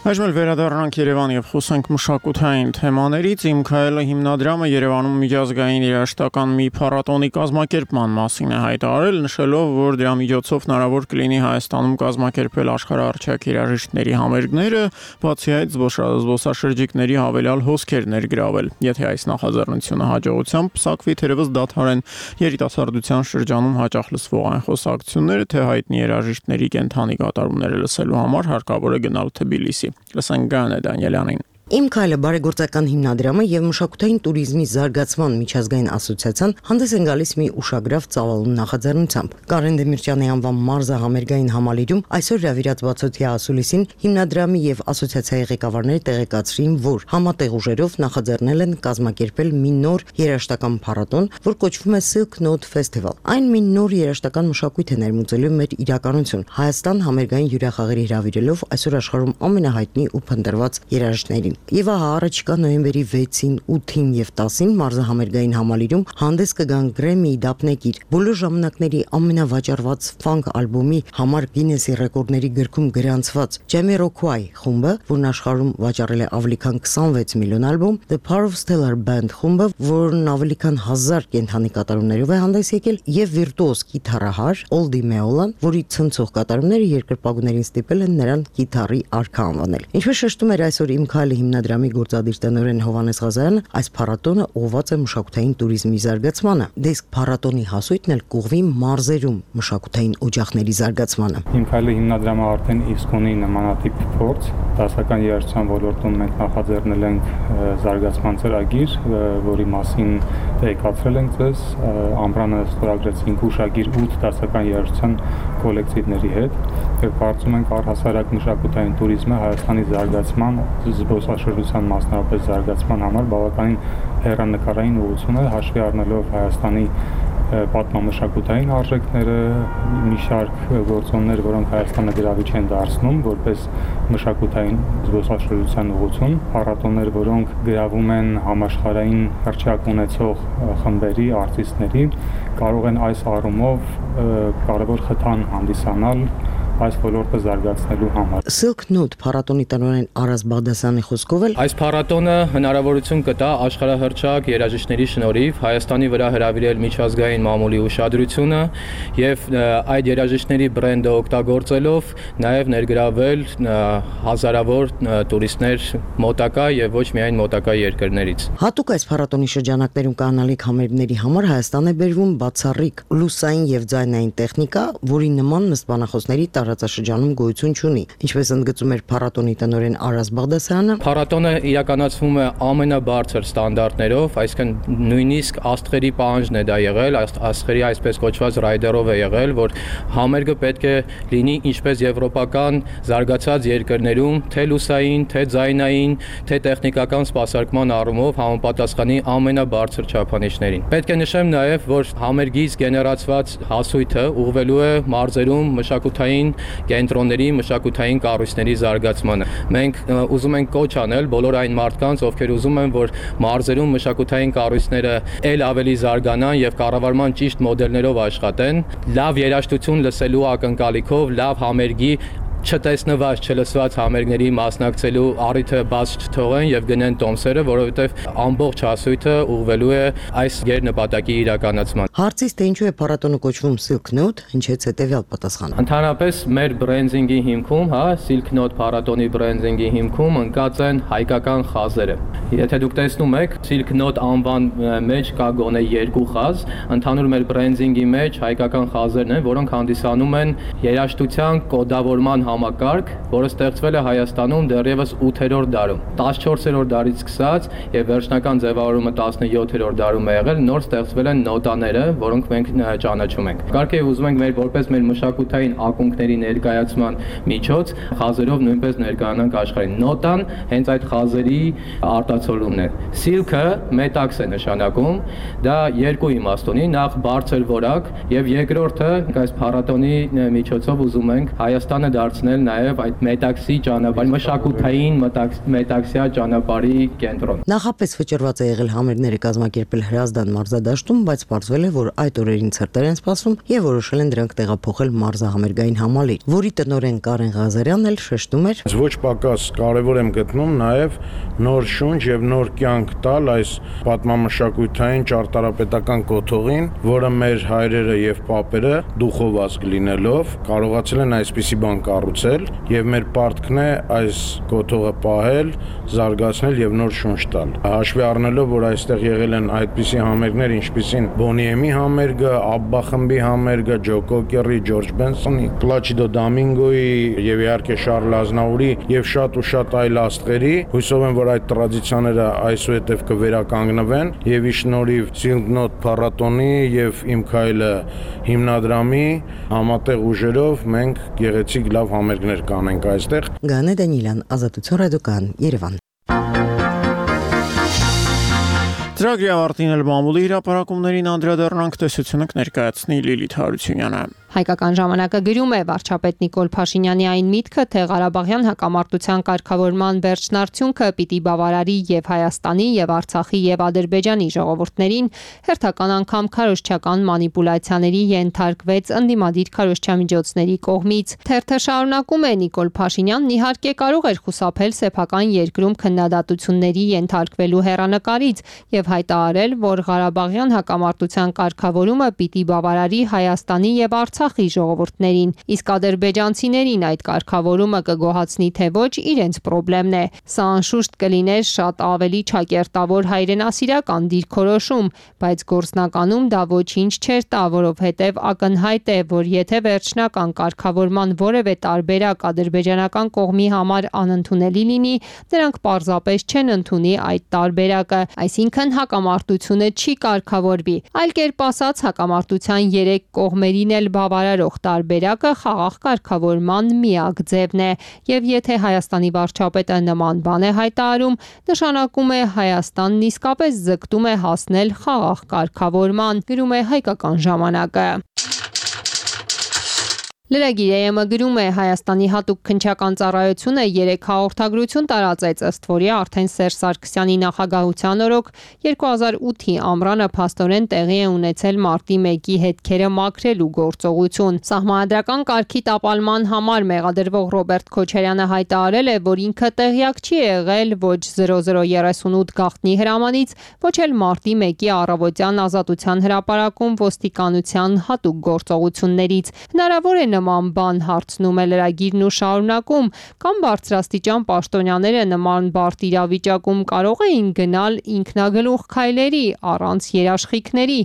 Այժմ էլ վերադառնանք Երևան եւ խոսենք մշակութային թեմաներից։ Իմ քայլը հիմնադրամը Երևանում միջազգային երաժշտական մի փառատոնի կազմակերպման մասին է հայտարարել, նշելով, որ դրա միջոցով հնարավոր կլինի Հայաստանում կազմակերպել աշխարհահռչակ երաժիշտների համերգները, բացի այդ զբոսաշրջիկների հավելյալ հոսքեր ներգրավել։ Եթե այս նախաձեռնությունը հաջողությամբ պսակվի, թերևս դադարեն երիտասարդության շրջանում հաճախ լսվող այն խոսակցությունները, թե հայտնի երաժիշտների կենթանի կատարումները լսելու համար հարկավոր է գնալ Թբիլիսի։ Լսենք Գայանե Դանիելյանին։
Իմ քայլը բարեգործական հիմնադրամը եւ մշակութային туриզմի զարգացման միջազգային ասոցիացիան հանդես են գալիս մի ուշագրավ ծավալուն նախաձեռնությամբ։ Կարեն Դեմիրճյանի անվան մարզը համերգային համալիրում այսօր հրավիրած բացօթյա ասուլիսին հիմնադրամի եւ ասոցիացիայի ղեկավարները տեղեկացրին, որ համատեղ ուժերով նախաձեռնել են կազմակերպել մի նոր երաժշտական փառատոն, որ կոչվում է Silk Note Festival։ Այն մի նոր երաժշտական մշակույթ է ներմուծելու մեր իրականություն։ Հայաստան համերգային հյուրախաղերի հրավիրելով այսօր աշխարհում ամենահայտնի ու փնտրված երաժիշտներին։ Եվ ահա առաջիկա նոյեմբերի վեցին, ութին եւ տասին մարզը համերգային համալիրում հանդես կգան Grammy դափնեկիր բոլոր ժամանակների ամենավաճառված ֆանկ ալբոմի համար Գինեսի ռեկորդների գրքում գրանցված Jamiroquai խումբը, որն աշխարհում վաճառել է ավելի քան քսանվեց միլիոն ալբոմ, The Power of Stellar Band խումբը, որն ավելի քան հազար կենթանի կատարումներով է հանդես եկել, եւ վիրտուոզ կիթառահար Oldie Meolan, որի ցնցող կատարումները երկրպագուներին ստիպել են նրան կիթառի արքա անվանել։ Ինչպես շեշտում էր այսօր Իմ քայլը հիմնադրամի գործադիր տնօրեն Հովհաննես Ղազարյանը, այս փառատոնը ուղղված է մշակութային туриզմի զարգացմանը։ Դեսկ փառատոնի հասույթն էլ կուղվի մարզերում մշակութային օջախների զարգացմանը։
Իմ քայլը հիմնադրամը արդեն իսկ ունի նմանատիպ փորձ, դասական երաժշտության ոլորտում մենք նախաձեռնել ենք զարգացման ծրագիր, որի մասին տեղեկացրել ենք ձեզ, ամռանը ստորագրեցինք ուշագիր ութ դասական երաժշտության կոլեկտիվների հետ, եւ կարծում ենք առհասարակ մշակութային туриզմը Հայաստանի զարգացման, զբոսաշրջիկների զբոսաշրջության մասնավորապես զարգացման համար բավականին հեռանկարային ուղղություն է, հաշվի առնելով Հայաստանի պատմամշակութային արժեքները, մի շարք գործոններ, որոնք Հայաստանը գրավիչ են դարձնում որպես մշակութային զբոսաշրջության ուղղություն, փառատոներ, որոնք գրավում են համաշխարհային հռչակ ունեցող խմբերի, արտիստների, կարող են այս առումով կարևոր խթան հանդիսանալ այս ոլորտը զարգացնելու համար։
Silk Note փառատոնի տնօրեն Արազ Բաղդասարյանի խոսքով էլ
այս փառատոնը հնարավորություն կտա աշխարհահռչակ երաժիշտների շնորհիվ Հայաստանի վրա հրավիրել միջազգային մամուլի ուշադրությունը եւ այդ երաժիշտների բրենդը օգտագործելով նաեւ ներգրավել հազարավոր տուրիստներ մոտակա եւ ոչ միայն մոտակա երկրներից։
Հատուկ այս փառատոնի շրջանակներում կանալիք համերգների համար Հայաստան է բերվում բացառիկ լուսային եւ ձայնային տեխնիկա, որի նման նստբանախոսների տարածաշրջանում գոյություն չունի, ինչպես ընդգծում էր փառատոնի տնօրեն Արազ Բաղդասարյանը։
Փառատոնը իրականացվում է ամենաբարձր ստանդարտներով, այսինքն նույնիսկ աստղերի պահանջն է դա եղել, աստղերի այսպես կոչված ռայդերով է եղել, որ համերգը պետք է լինի ինչպես եվրոպական զարգացած երկրներում, թե լուսային, թե ձայնային, թե տեխնիկական սպասարկման առումով համապատասխանի ամենաբարձր չափանիշներին։ Պետք է նշեմ նաև, որ համերգից գեներացված հասույթը ուղղվելու է մարզերում մշակութային կենտրոնների, մշակութային կառույցների զարգացմանը։ Մենք ուզում ենք կոչ անել բոլոր այն մարդկանց, ովքեր ուզում են, որ մարզերում մշակութային կառույցները ել ավելի զարգանան եւ կառավարման ճիշտ մոդելներով աշխատեն, լավ երաժշտություն լսելու ակնկալիքով, լավ համերգի չտեսնված, չլսված համերգների մասնակցելու առիթը բաց չթողեն եւ գնեն տոմսերը, որովհետեւ ամբողջ հասույթը ուղղվելու է այս գերնպատակի իրականացման։
Հարցից թե ինչու է փառատոնը կոչվում Silk Note, հնչեց հետեւյալ պատասխանը։
Ընդհանրապես մեր բրենդինգի հիմքում, հա, Silk Note փառատոնի բրենդինգի հիմքում ընկած են հայկական խազերը։ Եթե դուք տեսնում եք, Silk Note անվան մեջ կա գոնե երկու խազ, ընդհանուր մեր բրենդինգի մեջ հայկական խազերն են, որոնք հանդիսանում են երաժշտության կոդավորման համակարգ, որը ստեղծվել է Հայաստանում դեռևս ութերորդ դարում։ տասնչորսերորդ դարից սկսած եւ վերջնական ձևավորումը տասնյոթերորդ դարում է եղել, նոր ստեղծվել են նոտաները, որոնք մենք ճանաչում ենք։ Կարգ է ուզում ենք մեր որպես մեր մշակութային ակունքների ներկայացման միջոց խազերով նույնպես ներկայանանք աշխարհին։ Նոտան հենց այդ խազերի արտացոլումն է։ Silk-ը մետաքս է նշանակում, դա երկու իմաստ ունի, նախ բարձր որակ եւ երկրորդը այս փառատոնի միջոցով ուզում ենք Հայաստանը դարձնել նաև այդ մետաքսի ճանապարհ, մշակութային մետաքսյա ճանապարհի կենտրոն։
Նախապես վճռված է եղել համերգները կազմակերպել Հրազդան մարզադաշտում, բայց պարզվել է, որ այդ օրերին ցրտեր են սպասում եւ որոշել են դրանք տեղափոխել մարզահամերգային համալիր, որի տնօրեն Կարեն Ղազարյանն էլ շեշտում էր.
Ոչ պակաս կարևոր եմ գտնում նաև նոր շունչ եւ նոր կյանք տալ այս պատմամշակութային ճարտարապետական կոթողին, որը մեր հայրերը եւ պապերը դուխով ազգ լինելով կարողացել են այսպիսի բան կառուցել եւ մեր պարտքն է այս կոթողը պահել, զարգացնել եւ նոր շունչ տալ։ Հաշվի առնելով, որ այստեղ եղել են այդպիսի համերգներ, ինչպիսին Բոնիեմի համերգը, Աբբա խմբի համերգը, Ջո Կոկերի, Ջորջ Բենսոնի, Պլաչիդո Դոմինգոյի եւ իհարկե Շարլ Ազնավուրի եւ շատ ու շատ այլ աստղերի, հույսով եմ, որ այդ տրադիցիաները այսուհետև կվերականգնվեն եւ ի շնորհիվ Silk Note փառատոնի եւ Իմ քայլը հիմնադրամի համատեղ ուժերով մենք գեղեցիկ լավ համերգներ կանենք այստեղ։
Գանե Դանիելյան, Ազատություն ռադիոկան, Երևան։
Ծրագրի ավարտին էլ մամուլի հրապարակումներին անդրադառնանք, տեսությունը կներկայացնի Լիլիթ Հարությունյանը։
Հայկական ժամանակը գրում է վարչապետ Նիկոլ Փաշինյանի այն միտքը, թե Ղարաբաղյան հակամարտության կարգավորման վերջնարդյունքը պիտի բավարարի եւ Հայաստանի եւ Արցախի եւ Ադրբեջանի ժողովուրդներին, հերթական անգամ քարոզչական մանիպուլյացիաների ենթարկվեց ընդդիմադիր քարոզչամիջոցների կողմից։ Թերթը շարունակում է. Նիկոլ Փաշինյանն իհարկե կարող էր խուսափել սեփական երկրում քննադատությունների ենթարկվելու հեռանկարից եւ հայտարարել, որ Ղարաբաղյան հակամարտության կարգավորումը պիտի բավարարի Հայաստանի եւ Արցախի ժողովուրդներին, իսկ ադրբեջանցիներին այդ կարգավորումը կգոհացնի թե ոչ, իրենց խնդիրն է։ Սա անշուշտ կլիներ շատ ավելի ճակերտավոր հայրենասիրական դիրքորոշում, բայց գործնականում դա ոչինչ չէր տա, որովհետև ակնհայտ է, որ եթե վերջնական կարգավորման որևէ տարբերակ ադրբեջանական կողմի համար անընդունելի լինի, նրանք պարզապես չեն ընդունի այդ տարբերակը, այսինքն հակամարտությունը չի կարգավորվի։ Այլ կերպ ասած, հակամարտության երեք կողմերին էլ բավարարի բավարարող տարբերակը խաղաղ կարգավորման միակ ձևն է, եւ եթե Հայաստանի վարչապետը նման բան է հայտարարում, նշանակում է Հայաստանն իսկապես ձգտում է հասնել խաղաղ կարգավորման, գրում է Հայկական ժամանակը։ Լրագիրը գրում է Հայաստանի հատուկ քննչական ծառայությունը երեք հաղորդագրություն տարածեց, ըստ որի արդեն Սերժ Սարգսյանի նախագահության օրոք երկու հազար ութի ամռանը փաստորեն տեղի է ունեցել մարտի մեկի հետքերը մաքրելու գործողություն։ Սահմանադրական կարգի տապալման համար մեղադրվող Ռոբերտ Քոչարյանը հայտարարել է, որ ինքը տեղյակ չի եղել ոչ զրո զրո երեսունութ գաղտնի հրամանից, ոչ էլ մարտի մեկի առավոտյան Ազատության հրապարակում ոստիկանության հատուկ գործողություններից։ Հնարավոր է նման բան, հարցնում է լրագիրն ու շարունակում, կամ բարձրաստիճան պաշտոնյաները նման բարդ իրավիճակում կարող էին գնալ ինքնագլուխ քայլերի առանց երաշխիքների։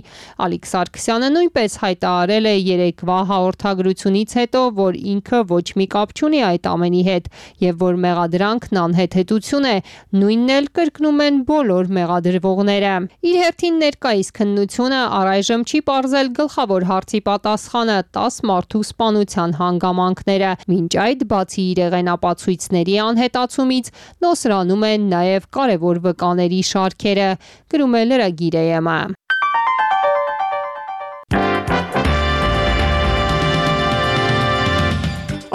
Ալիկ Սարգսյանը նույնպես հայտարարել է երեկվա հաղորդագրությունից հետո, որ ինքը ոչ մի կապ չունի այդ ամենի հետ եւ որ մեղադրանքն անհեթեթություն է, նույնն էլ կրկնում են բոլոր մեղադրվողները։ Իր հերթին ներկայիս քննությունը առայժմ չի պարզել գլխավոր հարցի պատասխանը՝ տասը մարդու սպանության հանգամանքները։ Մինչ այդ, բացի իրեղենապացույցների անհետացումից, նոսրանում են նաև կարևոր վկաների շարքերը, գրում է լրագիրը։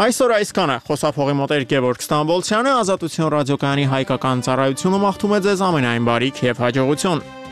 Այսօր այսքանը, խոսափողի մոտ էր Գևորգ Ստամբոլցյանը, Ազատություն ռադիոկայանի հայկական ծառայությունը մաղթում է ձեզ ամենայն բարիք եւ հաջողություն։